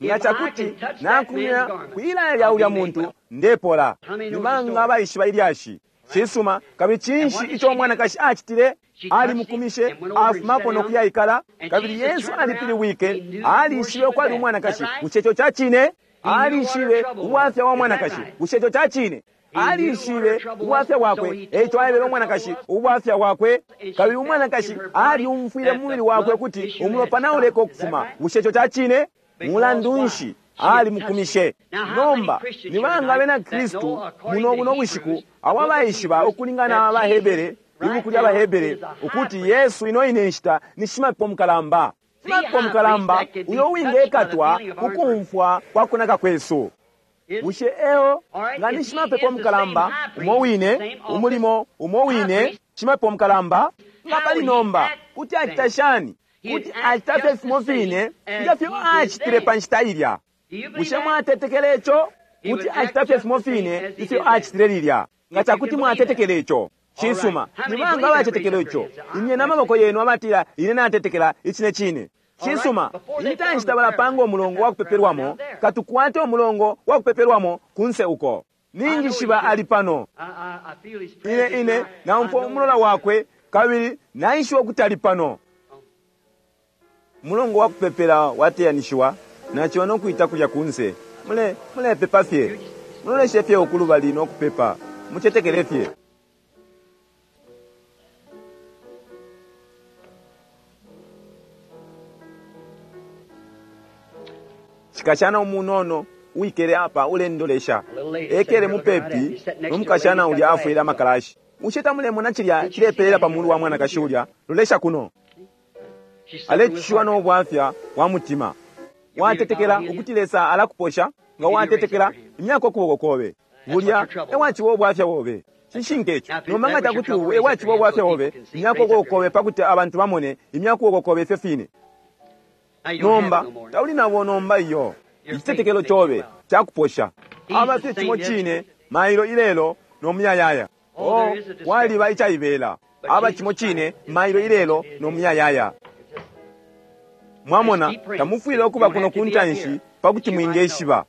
nga chakuti nakumya kwilaya lya ulya muntu ndepola. Nibanga abaishiba ilyashi. Chisuma kabili chinshi icho umwanakashi achitile? Alimukumishe afumako nokuyaikala. Kabili Yesu alipiliwike, alishibe ukwali umwanakashi. Bushe icho chachine? Alishibe ubwafya wa mwanakashi. Bushe icho chachine? Alishibe ubwafya bwakwe, eicho aebele umwanakashi ubwafya bwakwe. Kabili umwanakashi aliumfwile mu mubili wakwe kuti umulopa nauleka ukufuma. Bushe icho chachine? Mulandu nshi alimukumishe? Nomba nibanga abena Kristu muno buno bushiku abo abaishiba ukulingana abahebere, ibuku lya Bahebere, ukuti Yesu ino ine nshita ni shimapepo mukalamba. Shimapepo mukalamba uyo uwingekatwa kukumfwa kwa kunaka kwesu. Bushe eo nga ni shimapepo mukalamba umo wine, umulimo umo wine, shimapepo mukalamba nga pali nomba kuti acita shani? Kuti acita fye fimo fine nga fyo acitile pa nshita ilya. Bushe mwatetekele ico? Kuti acita fye fimo fine ifyo acitile lilya. Nga chakuti mwatetekele ico. Chisuma, nibanga abatetekela ico? Imyeni amaboko yenu abatila ine natetekela icine cine. Chisuma, intanshi tabalapanga umulongo wa kupepelwamo, katukwate umulongo wa kupepelwamo kunse uko. Ninjishiba ali pano. Ine ine naumfwa umulola wakwe kabili naishiba ukuti ali pano. Mulongo wa kupepela wateyanishiwa, nachiwa nokuita kulya kunse. Mule mulepepa fye. Muloleshe fye ukulubali nokupepa. Muchetekele fye. Chikashana umunono uikele apa ulendolesha ekele mupepi nomukashana ulya afwile amakalashi. Ushe tamulemona chilya chilepelela pamulu wa mwanakashi ulya lolesha kuno. Alechishiwa nobwafya wa mutima. Watetekela ukuti Lesa alakuposha? Nga watetekela imyaka ukuboko kobe bulya ewachiwa obwafya bobe. Chishinka icho. Nomba nga chakuti ewachiwa obwafya bobe, imyaka ukuboko kobe pakuti abantu bamone imyaka ukuboko kobe ifyo fine. Nomba tauli nabo nomba iyo. Ichitetekelo chobe chakuposha. Aba fye chimo chine mailo ilelo nomuyayaya. Oh, kwaliba ichaibela. Aba chimo chine mailo ilelo nomuyayaya. Mwamona tamufwile okuba kuno kuntanshi pakuti mwingeshiba.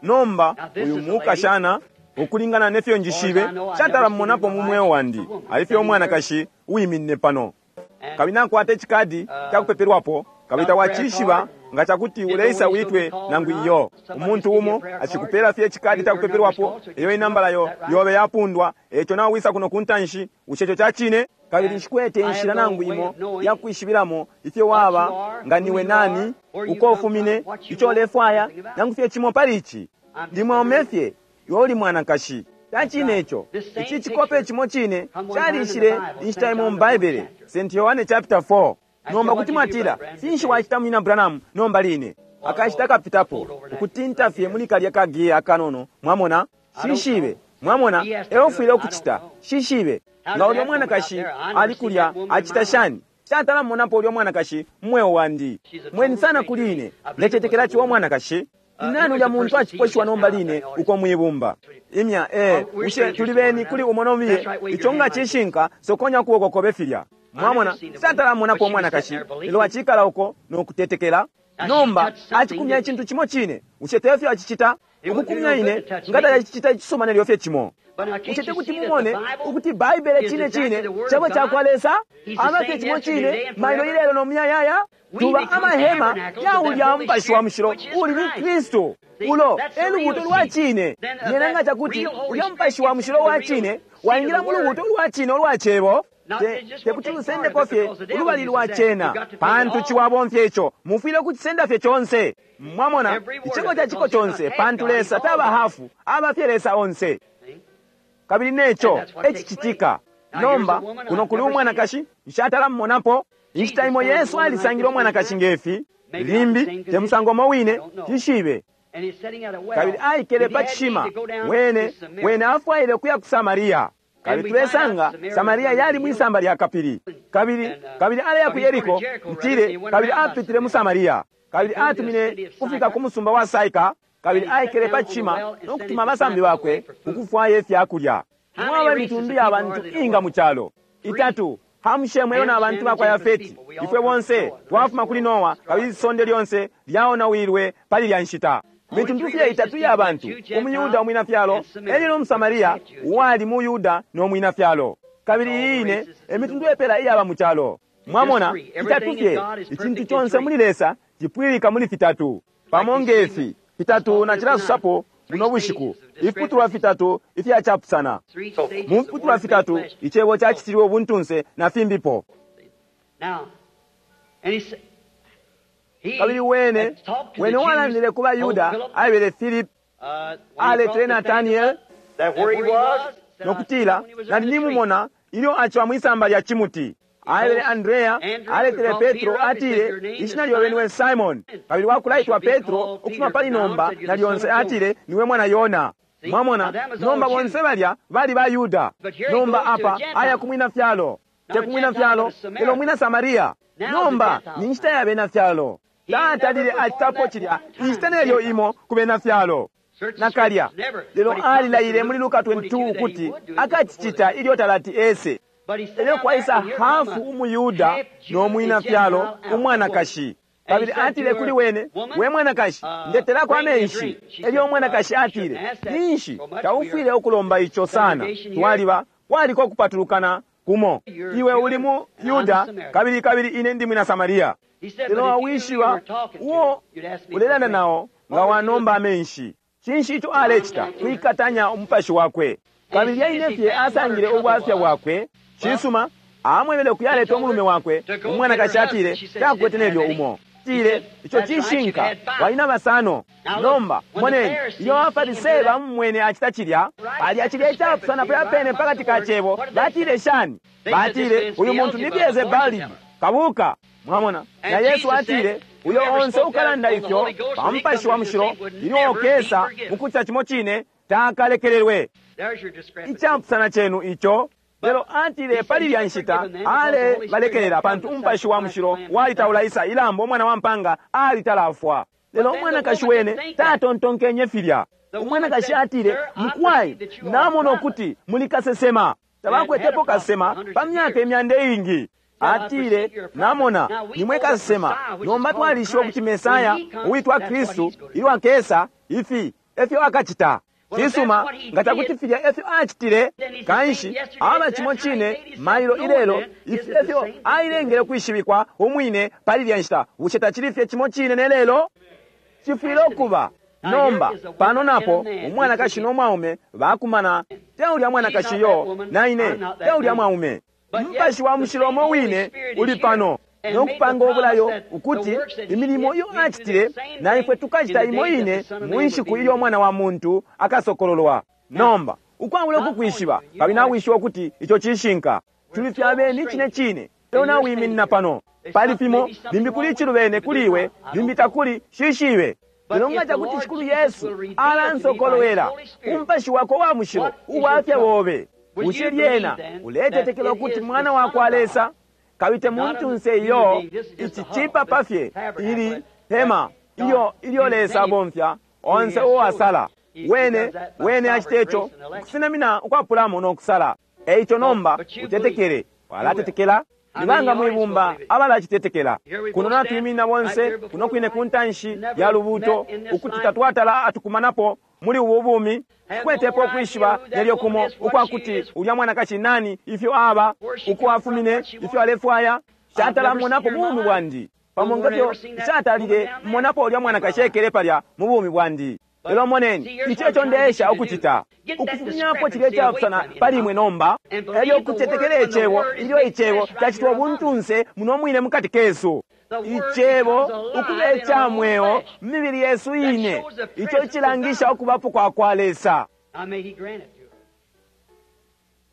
Nomba uyu mukashana ukulingana nefyo njishibe chatala mmonapo mu mweo wandi. Alifye umwanakashi uwiminine pano. Kabili nakwata echikadi chakupepelwapo. Kabili tawachishiba nga chakuti uleisa witwe nangu iyo. Umuntu umo achikupela fye chikadi chakupepelwapo, iyo inambala yo yobe yapundwa, echo nawe wisa kuno kuntanshi, ushecho chachine. Kabili nshikwete inshila nangu imo yakuishibilamo ifyo waba nga niwe nani, uko ufumine, icho ulefwaya, nangu fye chimo pali ichi. Ndimwaume fye iwe uli mwanakashi. Chachine icho. Ichi chikope chimo chine chalishile inshita imo mu Baibele, Saint Yohane chapter four. Nomba kuti mwatila finshi wachita munyina Branham nomba line? Akashita kapitapo ukutinta fye muli kalya kagiya akanono. Mwamona shishibe, mwamona eofwile okuchita shishibe. Nga ulya mwanakashi ali kulya achita shani? Chatala mmonapo ulya mwanakashi mmweo wandi mweni sana kuli ine. Ndechetekela chiwa mwanakashi nani ulya muntu achiposhiwa nomba line uko mwibumba imya eh ushe tulibeni kuli umonomiye icho nga chishinka sokonya kuwoko kobe filya. Mwamona chatala mmonapo umwanakashi lelo achikala uko nokutetekela. Nomba achikumya ichintu chimo chine ushe tefyo achichita ukukumya ine ngata achichita ichisoma nelyo fye chimo. Uchete kuti mumone ukuti Baibele chine chine chabo chakwa Lesa aba fye chimo chine mailo ilelo nomuyayaya. Tuba amahema ya ulya mupashi wa mushilo uli ni Kristu ulo elubuto lwa chine. Yenanga chakuti ulya mupashi wa mushilo wa chine waingira mu lubuto lwa chine olwa chebo tekuti lusendeko fye ulubali lwa chena pantu chiwabomfya icho mufwile kuchisenda fye chonse. Mwamona ichiko cha chiko chonse pantu Lesa taba hafu aba fye Lesa onse. Kabili necho echichitika. Nomba kuno kuli umwanakashi nshatala mmonapo. Inshita imo Yesu alisangile umwanakashi ngefi, limbi te musango umo wine, tishibe. Kabili aikele pa cishima, wene wene afwaile ukuya ku Samaria. Kabili tulesanga Samaria yali mwisamba lya kapili. Kabili kabili aleya ku Yeriko, ntile, kabili apitile mu Samaria. Kabili atumine kufika ku musumba wa Saika, kabili aikele pa cishima no kutuma abasambi bakwe ukufwaya ifyakulya. Mwaba imitundu ya bantu inga mu calo itatu, Hamu, Shemu elo na bantu bakwa Yafeti. Ifwe bonse twafuma kuli Noa, kabili isonde lyonse lyaonawilwe pali lya nshita. Mitundu fye itatu ya bantu, umuyuda, umwina fyalo elyo no Musamaria, uwali mu Yuda no mwina fyalo. Kabili iyi ine emitundu epela iyaba mu calo. Mwamona, itatu fye, icintu conse muli Lesa cipwilika muli fitatu. Pamo ngefi fitatu na cilasusapo buno bushiku, ifiputulwa fitatu ifyacapusana. Mu fiputulwa fitatu icebo cacitilwe ubuntunse na fimbipo. Kabili wene wene walandile ku baYuda, aebele Philip, aletele Nathaniel nokutila, nali nimumona ilyo aciwa mwisamba lya cimuti. Aebele Andrea, aletele Petro, atile, ishina lyobe niwe Simon. Kabili wakulaitwa Petro ukufuma pali nomba na lyonse, atile, niwe mwana Yona. Mwamona, nomba bonse balya bali ba Yuda. Nomba apa aya kumwina fyalo, te kumwina fyalo, lelo mwina Samaria. Nomba ni nshita ya bena fyalo. Tatalile acitapo cilya inshita nelyo imo ku bena fyalo nakalya, lelo alilaile muli Luka makumi yabili na ibili ukuti akacicita ilyo talati ese. Elyo kwaisa hafu umuyuda no mwina fyalo umwanakashi. Kabili atile kuli wene, we mwanakashi, ndetelako amenshi. Elyo umwanakashi atile, ninshi taufwile ukulomba ico sana, twaliba kwaliko kupatulukana kumo, iwe uli mu Yuda kabili kabili ine ndi mwina Samaria. Lelo wawishiba uo ulelanda nao nga wanomba amenshi. Cinshi ico alecita? Kwikatanya umupashi wakwe. Kabili yaine fye asangile ubwafya bwakwe. Cisuma, amwebele ukuyaleta umulume wakwe. Umwanakashi atile takwete nelyo umo. Atile, ico cishinka, walina basano. Nomba moneni, ilyo abaFarisee bamumwene acita cilya, palya cilya icapusana palya pene pakati ka cebo, batile shani? Batile, uyu muntu ni Beelzebali, kabuka. Mwamona, na Yesu atile, uyo onse ukalanda ifyo pa Mupashi wa Mushilo ilyo okesa mukucita cimo cine takalekelelwe. Icapusana cenu ico. Lelo atile pali lya nshita ale balekelela, pantu Umupashi wa Mushilo walitaulaisa ilambo, umwana wa mpanga alitalafwa. Lelo umwanakashi wene tatontonkenye filya. Umwanakashi atile, mukwai, namona ukuti muli kasesema. Tabakwetepo kasesema pa myaka imyanda iingi. Atile, namona nimwe kasesema. Nomba twalishiba ukuti Mesaya uwitwa Kristu ilyo akesa, ifi efyo akacita. Cisuma, nga cakuti filya efyo acitile, kanshi aba cimo cine mailo ilelo, ifi efyo ailengele kwishibikwa umwine pali lya nshita. Bushe tacili fye cimo cine ne lelo? Cifwile ukuba. Nomba pano napo umwanakashi no mwaume bakumana. Te ulya mwanakashi yo na ine, te ulya mwaume. Umupashi wa Mushilo umo wine uli pano no kupanga obulayo ukuti imilimo iyo acitile na ifwe tukacita imo ine mu nshiku ilyo Umwana wa Muntu akasokololwa. Nomba ukwabula ukukwishiba, kabili nawishiba ukuti ico cishinka, tuli fye abeni cine cine. Lelo nawiminina pano pali fimo, limbi kuli icilubene kuli iwe, limbi takuli, shishibe. Lelo nga cakuti Shikulu Yesu alansokolwela Umupashi wakwe wa Mushilo ubwafya bobe, bushe lyena uletetekela ukuti Mwana wa kwa Lesa? Kabili te muntunse iyo, ici cipapa fye ili hema ilyo ilyo Lesa abomfya onse uwasala. Wene wene acite ico ukusenamina ukwapulamo no kusala. Eico nomba utetekele. Walatetekela? Nibanga mwibumba abalacitetekela? Kuno natwiminina bonse kuno kwine ku ntanshi ya lubuuto, ukuti tatwatala atukumanapo muli ubu bumi, kwetepo ukwishiba nelyo kumo ukwakuti ulya mwanakashi nani, ifyo aba, uko afumine, ifyo alefwaya. Shatala mmonapo mu bumi bwandi, pamo ngefyo nshatalile mmonapo ulya mwanakashi ekele palya mu bumi bwandi. Lelo moneni, ico eco ndeesha ukucita, ukufumyapo cilya icapusana pali imwe nomba, elyo ukutetekela icebo ilyo icebo cacitwa ubuntunse muno mwine mukati kesu. Icebo ukuba ica mweo mu mibili yesu ine, ico icilangisha ukubapo kwa kwa Lesa.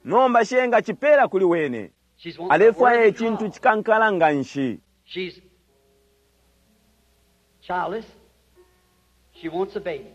Nomba shenga chipela kuli wene. She's wanting a Alefwaya worthy icintu cause. chikankala nga nshi. She's childless. She wants a baby.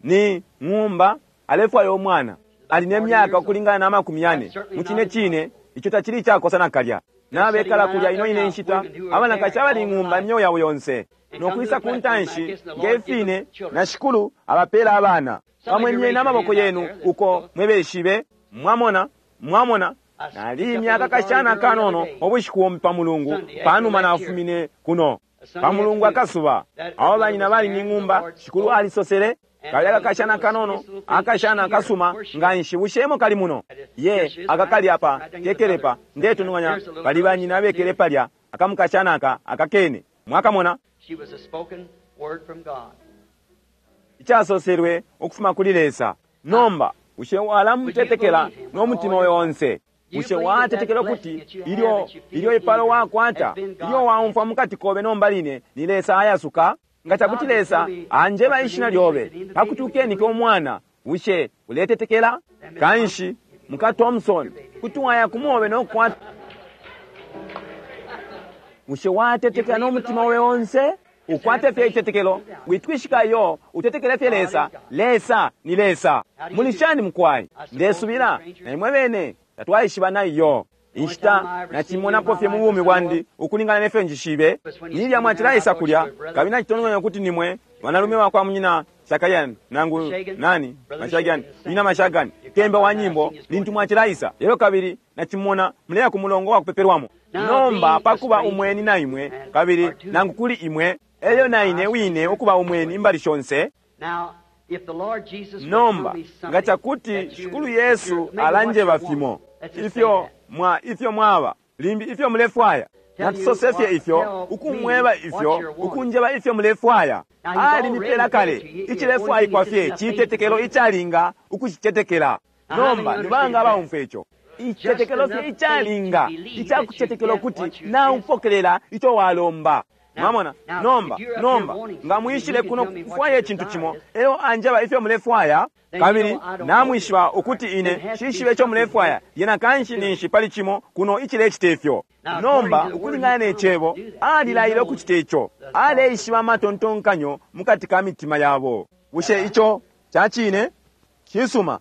Ni ng'umba alefwaya omwana. Ali nemyaka ukulingana na makumi yane. Muchine chine icho tachili chakosa nakalya. Nabekala kulya ino ine nshita abanakashi abali ng'umba emyoyo yabo yonse. Nokwisa ku ntanshi ngefine na shikulu abapeela abana. Pamwe n'amaboko yenu uko mwebeshibe mwamona mwamona nali imyaka kashana kanono obushiku pa mulungu panuma nafumine kuno pa mulungu akasuba abo banyina bali ni ng'umba shikulu alisosele kali akakashana kanono akashana akasuma nga nshi bushemo kali muno ye akakali apa kekelepa ndetununganya bali banyina bekele palya akamukashana aka akakene mwakamona She was a spoken word from God. Ichasoselwe ukufuma kuli Lesa. Nomba ushe walamutetekela n'omutima oyo onse. Ushe watetekela kuti ilyo ilyo ipalo wakwata ilyo waumfwa mukati kobe nomba line ni Lesa ayasuka nga chakuti Lesa anjeba ishina lyobe pakuti ukenike omwana ushe uletetekela kanshi muka Thompson kuti waya kumobe nokukwata ushe watetekela n'omutima oyo onse ukwate fye itetekelo witwishikayo utetekele fye Lesa. Lesa ni Lesa. Mulishani mukwayi ndesubila na imwe bene tatwaishiba naiyo inshita nachimonapo fye mu bumi bwandi ukulingana nefyo njishibe nilya mwachilaisa kulya kabili nachitongonya kuti nimwe wanalume wakwa munyina Shakayani nangu nani Mashagani nyina Mashagani kemba wa nyimbo lintu mwachilaisa lelo kabili nachimona muleya ku mulongo wa kupeperwamo. Nomba pakuba umweni na imwe kabili nangu kuli imwe elyo na ine wine ukuba umweni imbali shonse. Now, if the Lord Jesus would Nomba tell me something nga chakuti that you- shikulu Yesu maybe alanjeba what you fimo want. Let's just say ifyo that. mwa ifyo mwaba limbi ifyo mulefwaya natusose fye ifyo ukumweba ifyo ukunjeba ifyo mulefwaya. Alimipela kale icilefwaikwa fye citetekelo icalinga ukucicetekela. Nomba nibanga abaumfwa ico icitetekelo fye icalinga icakucetekela ukuti naupokelela ico walomba. Mwamona? Nomba nomba nga mwishile kuno kufwaya icintu cimo elyo anjeba ifyo mulefwaya kabili namwishiba ukuti ine shishibe ico mulefwaya yena kanshi ninshi pali cimo kuno icilecita ifyo. Nomba ukulingana ne cebo alilaile ukucita ico. Aleishiba amatontonkanyo mukati ka mitima yabo. Bushe ico cacine? Cisuma.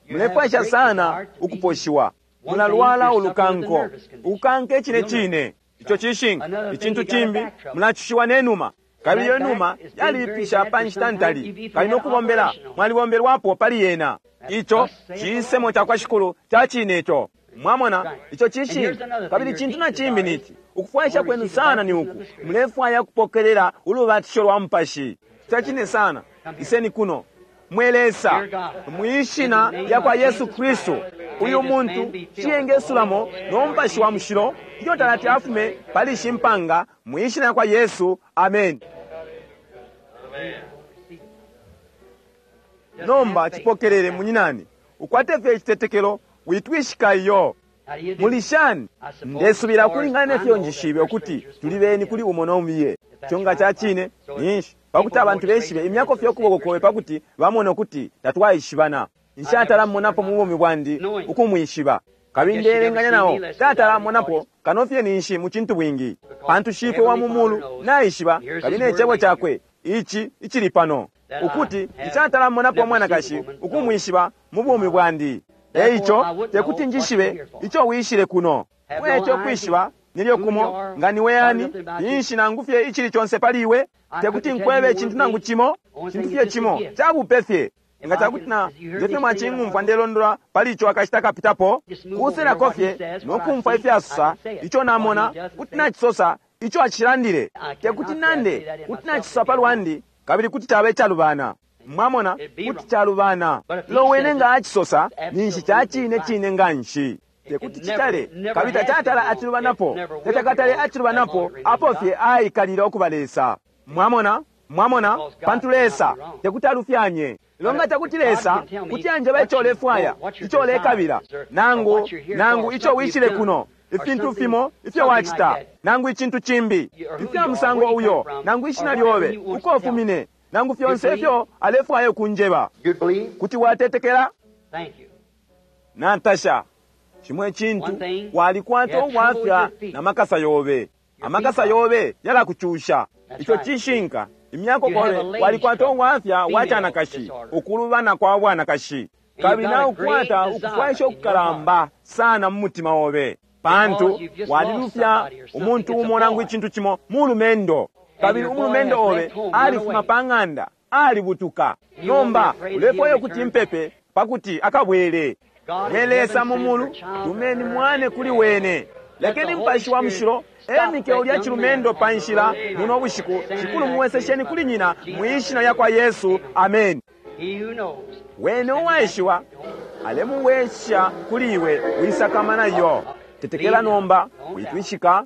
Mulefwaisha sana ukuposhiwa. Mulalwala ulukanko ukanka icine cine ico cishinka. Icintu cimbi mulacushiwa nenuma kabili iyo numa yalipisha pa nshita ntali kabili nokubombela mwalibombelwapo pali yena. Ico cisemo cakwa shikulu cacine ico. Mwamona ico cishinka. Kabili cintu na cimbi nici ukufwaisha kwenu sana ni uku mulefwaya kupokelela ulubatisho lwa mupashi. Cacine sana. Iseni kuno mwe Lesa mwishina lya kwa Yesu Kristu uyu muntu ciyengesulamo n'omupashi wa mushilo ilyo talati afume pali shimpanga mwishina lya kwa Yesu. Amen. Nomba chipokelele munyinani ukwate fye icitetekelo witwishika iyo. How do you do? Mulishani ndesubila ukulingana nefyo njishibe ukuti tuli beni kuli umo n'omubiye. Ico nga cacine ninshi pakuti abantu beshibe imyako fye ukuboko kobe pakuti bamone ukuti tatwaishibana. Nshatalamonapo mu bumi bwandi ukumwishiba kabili ndelenganya nawo tatalamonapo kano fye ninshi mu cintu bwingi pantu shifwe wa mu mulu naishiba kabili ne cebo cakwe ici icili pano ukuti nshatalamonapo mwanakashi ukumwishiba mu bumi bwandi. Eico tekuti njishibe ico wishile kuno mweco kwishiba nilyo kumo nga niwe yani ninshi nangu fye icili conse pali iwe tekuti nkwebe icintu nangu cimo cintu fye cimo cabupe fye nga cakuti na ndefye mwacing'umfwa ndelondola pali ico akashita kapitapo kuselako fye nokumfwa ifyasusa ico namona kuti nacisosa ico acilandile tekuti nande kuti nacisosa palwandi kabili kuti caba icalubana. Mwamona kuti calubana. Lowene nga acisosa ninshi cacine cine nga nshi tekuti citale kabili tacatala acilubanapo tacakatale acilubanapo apo fye aikalile okuba Lesa. Mwamona mwamona pantu Lesa tekuti alufyanye. Lelo nga cakuti Lesa kuti anjeba ico ulefwaya ico ulekabila nangu nangu ico wishile kuno ifintu fimo ifyo wacita nangu icintu cimbi ifya musango uyo nangu ishina lyobe uko ufumine nangu fyonse ifyo alefwaya ukunjeba You believe? kuti watetekela. Thank you. Natasha, chimwe chintu walikwata ubwafya na makasa yobe. Amakasa yobe yalakuchusha. Icho chishinka imyako kole walikwata ubwafya wachanakashi ukulubana kwa bwanakashi kabili naukwata ukufwaisha okukalamba sana mu mutima obe pantu walilufya umuntu umo nangu ichintu chimo mulumendo kabili umulumendo obe alifuma pa ng'anda alibutuka nomba ulefwayo kuti mpepe pakuti akabwele nelesa mumulu tumeni mwane kuli wene lekeni mpashi wa mushilo emike ulya chilumendo pa nshila muno bushiku shikulu muwesesheni kuli nyina mwishina lya kwa Yesu amen. Wene uwaishiwa alemuwesha kuli iwe wisakamana yo tetekela nomba witwishika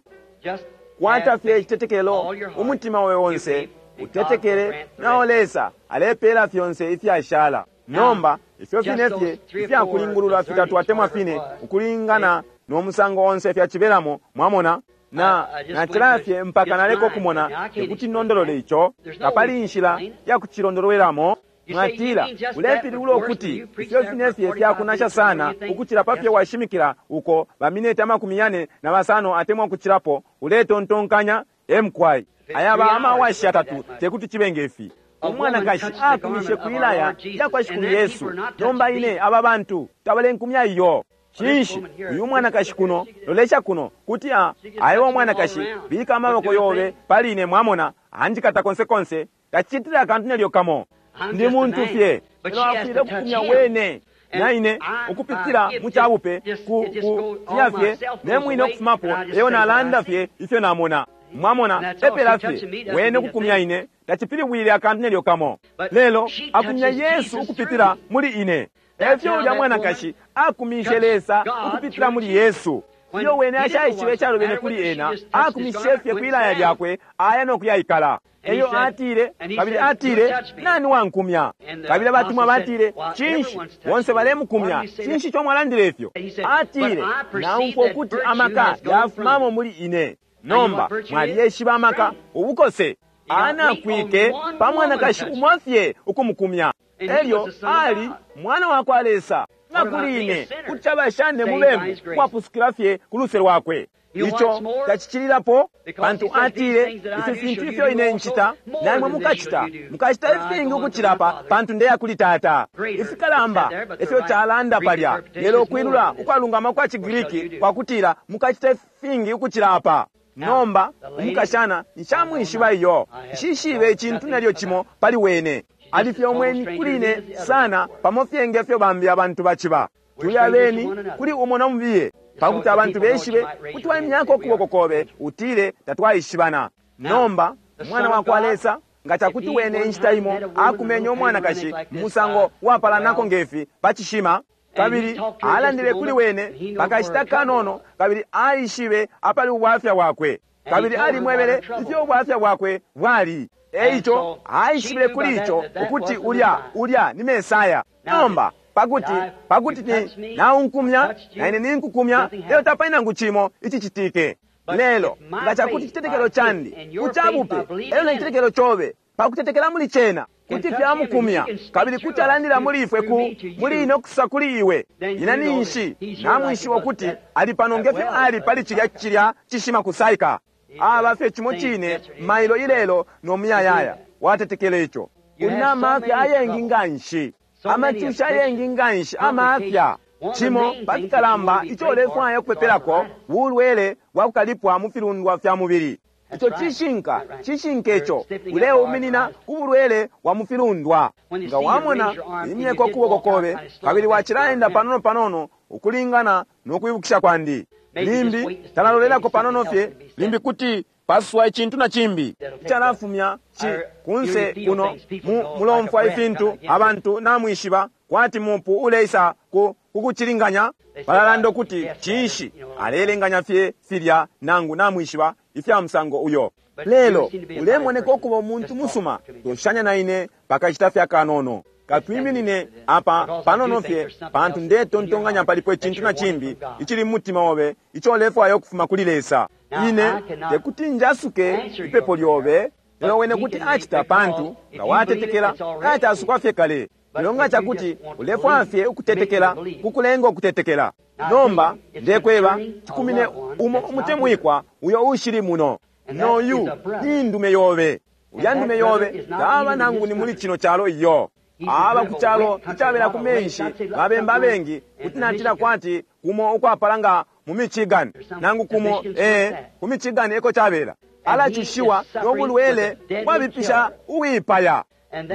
kwata fye icitetekelo umutima we wonse utetekele nawo Lesa alepela fyonse ifyashala nomba ifyo fine fye ifyakulingulula fitatu atemwa fine ukulingana n'omusango onse fyachibelamo mwamona na nachilafye mpaka naleko kumona tekuti nondolole icho kapali nshila yakuchilondolweramo mwatila ulepilula ukuti ifyo fine fye fyakunasha sana ukuchila pafye washimikila uko bamineti amakumi yane na basano atemwa ukuchilapo uletontonkanya emkwai ayaba amawashi atatu tekuti chibenge ifi umwanakashi akumishe kwilaya yakwa shikulu Yesu nomba ine aba bantu tabalenkumya iyo chinshi uyu mwanakashi kuno lolesha kuno kuti a ayiwa mwanakashi bika amaboko yobe pali ine mwamona anjikata konse konse tachitira akantu nelyo kamo ndi muntu fye lelo afwile kukumya wene naine ukupitira muchabupe ku ku fye nemwine okufumapo eyo nalanda fye ifyo namona mwamona epela fye wene kukumya ine tachipilibwile akantu nelyo kamo lelo akumya Yesu ukupitira muli ine efyo ulya mwanakashi akumishe Lesa ukupitira muli Yesu iyo wene ashaishibe echalubene kuli ena akumishe fye kwilaya lyakwe aya nokuyayikala eyo atile kabili atile nani wankumya kabili abatumwa batile chinshi bonse balemukumya chinshi chomwalandile ifyo atile naumfwa ukuti amaka yafumamo muli ine nomba mwaliyeshiba amaka ubukose anakwike pa mwanakashi umofye ukumukumya elyo ali mwana wa kwa Lesa na kuli ine kuti abashane mubembu kwapusukila fye ku luse lwakwe icho tachichilirapo pantu atile ifi fintu ifyo ine nchita namwe mukachita mukachita ifingi ukuchilapa pantu ndeya kuli tata ifikalamba ifyo chalanda palya lelo ukwilula ukwalungama kwa Chigiriki kwakutila mukachita ifingi ukuchilapa nomba umukashana nshamwishiba iyo nshishibe ichintu nelyo chimo pali wene alifye omweni kuli ine sana pamo fye ngefyo bambi abantu bachiba tuli abeni kuli umo nomubiye pakuti abantu beshibe kuti waimyako ukuboko kobe utile tatwaishibana nomba mwana wa kwa Lesa nga chakuti wene inshita imo akumenya umwanakashi musango wapalanako ngefi pachishima kabili alandile kuli wene pakashita kanono kabili aishibe apali ubwafya bwakwe kabili alimwebele ifyo ubwafya bwakwe bwali eicho aishibile kuli icho ukuti ulya ulya ni Mesaya nomba pakuti pakuti ni naunkumya naine ninkukumya lelo tapali nangu chimo ichichitike lelo nga chakuti chitetekelo chandi kuchabupe elyo na chitetekelo chobe pakutetekela muli chena kuti fyamukumya kabili kuti alandila muli ifwe ku muli ine okusa kuli iwe ina ninshi namwishiwa ukuti ali pano ngefyo ali pali chilya chilya chishima kusaika aba fye chimo chine mailo ilelo nomuyayaya watetekela icho uli na amafya ayengi nganshi amachusha ayengi nganshi amafya chimo pakikalamba icho ulefwaya okupepelako bulwele bwakukalipwa mu filundwa fya mubili icho chishinka chishinka icho uleuminina ku bulwele bwa mufilundwa nga wamona imyeko okuboko kobe kabili wachilaenda panono panono ukulingana n'okwibukisha kwandi limbi talalolelako panono fye limbi kuti paswa ichintu na chimbi ichalafumya chi kunse kuno mu, mulomfwa ifintu abantu namwishiba kwati mupu uleisa ku kukuchilinganya balalanda ukuti chinshi alelenganya fye filya nangu namwishiba ifya musango uyo lelo ulemoneka okuba omuntu musuma toshanya na ine pakachita fya kanono katwiminine apa panono fye pantu ndetontonganya palipo ichintu na chimbi ichili mumutima obe icho olefwaya okufuma kuli Lesa ine tekuti njasuke ipepo lyobe lelo wene kuti achita pantu nga watetekela nachasukwa fye kale Lelo nga cakuti ulefwaya fye ukutetekela, kukulenga ukutetekela. Nomba ndekweba cikumine umo umutemwikwa uyo ushili muno. Noyu ni ndume yobe. Ulya ndume yobe taba nangu ni muli cino calo iyo. Aba ku calo icabela ku menshi babemba abengi, kuti natila kwati kumo ukwapala nga mu Michigan, nangu kumo ee ku Michigan eko cabela. Alacushiwa no bulwele bwabipisha uwipaya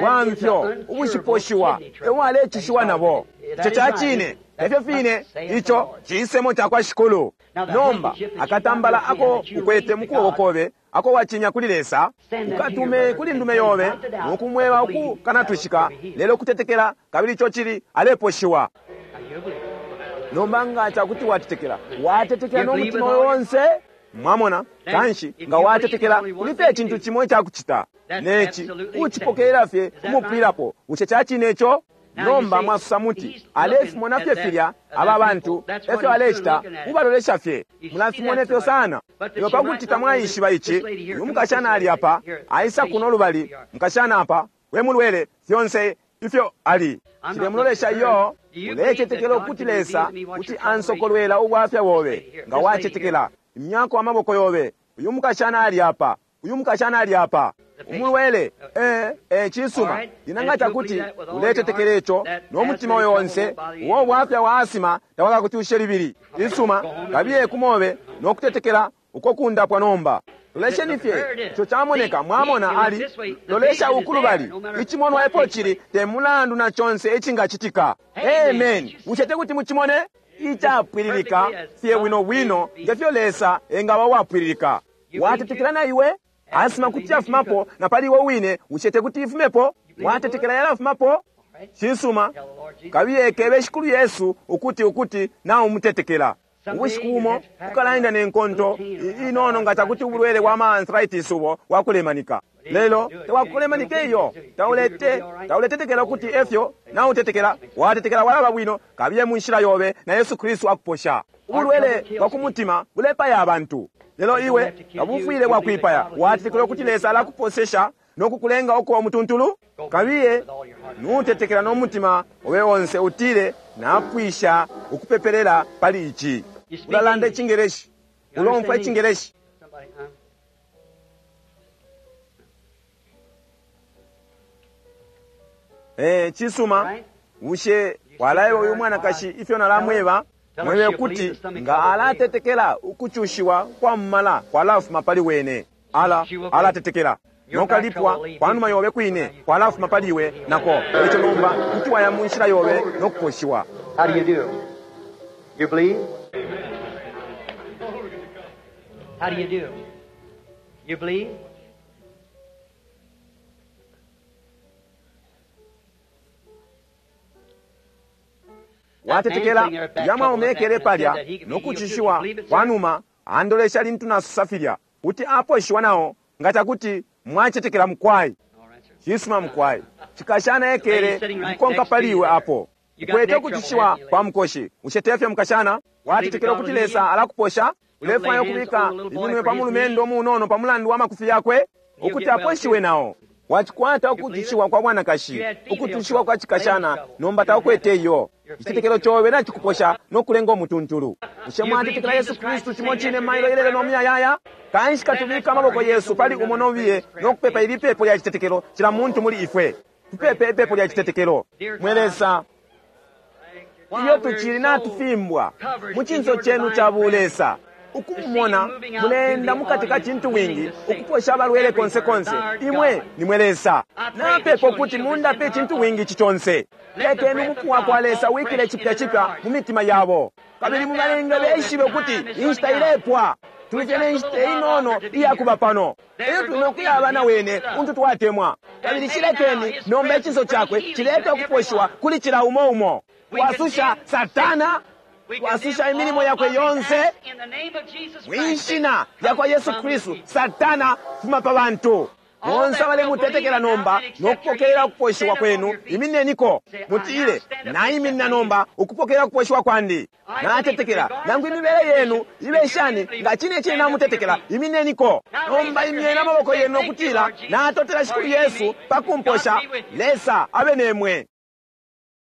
bwamfyo ubushiposhiwa ewalecushiwa nabo. Ico ca cine, efyo fine ico cisemo cakwa Shikulu. Nomba akatambala ako ukwete mu kuboko kobe ako wacinya kuli Lesa, ukatume kuli ndume yobe nokumweba ukukanatwishika, lelo kutetekela, kabili ico cili aleposhiwa. Nomba nga cakuti watetekela, watetekela no mutima onse. Mwamona, kanshi nga watetekela kuli fye icintu cimo icakucita, neci ucipokelela fye umupwilapo. Bushe ca cine ico? Nomba mwasusa muti, alefimona fye filya aba bantu efyo alecita, mubalolesha fye, mulafimona ifyo sana. Lelo pakuti tamwaishiba ici, uyu mukashana ali apa, aisa kuno lubali, mukashana apa, we mulwele, fyonse ifyo ali. Cilemulolesha iyo, ulecetekela ukuti Lesa kuti ansokolwela ubwafya bobe. Nga wacetekela, imyako amaboko yobe. Uyu mukashana ali apa, uyu mukashana ali apa, umulwele. Eh, eh, cisuma. Inanga cakuti uletetekela ico no mutima oyo onse, uwo bwafya wa asima tawakakucushe libili. Isuma, kabiye kumobe no kutetekela uko kundapwa nomba. Lolesheni fye ico camoneka. Mwamona ali lolesha ukulubali, icimonwa epo cili, te mulandu na conse icingacitika. Amen. Bushe tekuti mucimone icapwililika fye bwino bwino ngefyo Lesa engaba wapwililika? Watetekela na iwe? Asima kuti yafumapo na pali iwe wine. Bushe tekuti ifumepo? Watetekela yalafumapo? Cisuma, kabiye kebe Shikulu Yesu ukuti ukuti naumutetekela. Ubushiku bumo ukalaenda ne nkonto inono nga cakuti ubulwele bwa ma-arthritis ubo wakulemanika. Lelo tewakulemanika iyo, taulete tauletetekela ukuti efyo nautetekela. Watetekela walaba bwino, kabiye mu nshila yobe na Yesu Kristu akuposha. Ubulwele bwa ku mutima bulepaya abantu, lelo iwe tabufwile bwakwipaya. Watetekela ukuti Lesa alakuposesha no kukulenga ukuba umutuntulu? Kabiye nutetekela no mutima obe onse, utile napwisha ukupepelela pali ici. Ulalanda icingeleshi, ulomfwa icingeleshi. Somebody, huh? Eh, cisuma. Bushe walaeba uyu mwanakashi ifyo nalamweba? Mwebe kuti nga alatetekela ukucushiwa kwa mmala kwalafuma pali wene. Ala alatetekela nokalipwa kwanuma yobe kwine kwalafuma pali iwe nako. Ico nomba kuti waya mu nshila yobe nokuposhiwa. How do you do? You believe? How do you do? You believe? Watetekela yamwaumekele palya nokucushiwa kwanuma andolesha lintu nasusa filya kuti aposhiwa nawo nga cakuti mwacetekela mukwai. All right, sir. Cisuma mukwai, cikashana ekele mukonka pali iwe apo ukwete ukucushiwa kwa mukoshi. Bushe tefyo mukashana? Watetekela ukuti Lesa alakuposha? Ulefwaya ukubika iminwe pa mulumendo munono pa mulandu wa makufi yakwe ukuti aposhiwe nawo. Wacikwata ukucushiwa kwa bwanakashi, ukucushiwa kwa cikashana, nomba taukwete iyo. Icitetekelo cobe nacikuposha nokulenga umutuntulu. Bushe mwatetekela Yesu Kristu cimo cine mailo ilelo no muyayaya? Kanshi katubika amaboko yesu pali umo nobiye nokupepa ili pepo lya citetekelo cila muntu muli ifwe. Tupepe ipepo lya citetekelo. Mwe Lesa, iyo tucili natufimbwa mu cinso cenu ca bulesa, ukumumona mulenda mukati ka cintu wingi ukuposha abalwele konse konse, imwe nimwe Lesa. Napepa ukuti mundape icintu wingi ici conse. Lekeni umupu wa kwa Lesa wikile cipya cipya mu mitima yabo, kabili mubalenge beishibe ukuti inshita ilepwa. Tulifye ne nshita inono iyakuba pano, eyo tuli nokuyaba na wene untu twatemwa. Kabili cilekeni nomba icinso cakwe cilete ukuposhiwa kuli cila umo umo. Twasusha Satana, twasusha imilimo yakwe yonse mwishina lya kwa Yesu Kristu. Satana, fuma pa bantu bonse abalemutetekela nomba nokupokelela ukuposhiwa kwenu. Imineniko mutile, naiminina nomba ukupokelela ukuposhiwa kwandi. Natetekela nangu imibele yenu ibe shani, nga cine cine namutetekela, imineniko nomba. Imyeni amaboko yenu nokutila, natotela Shikulu Yesu pakumposha. Lesa abe nemwe.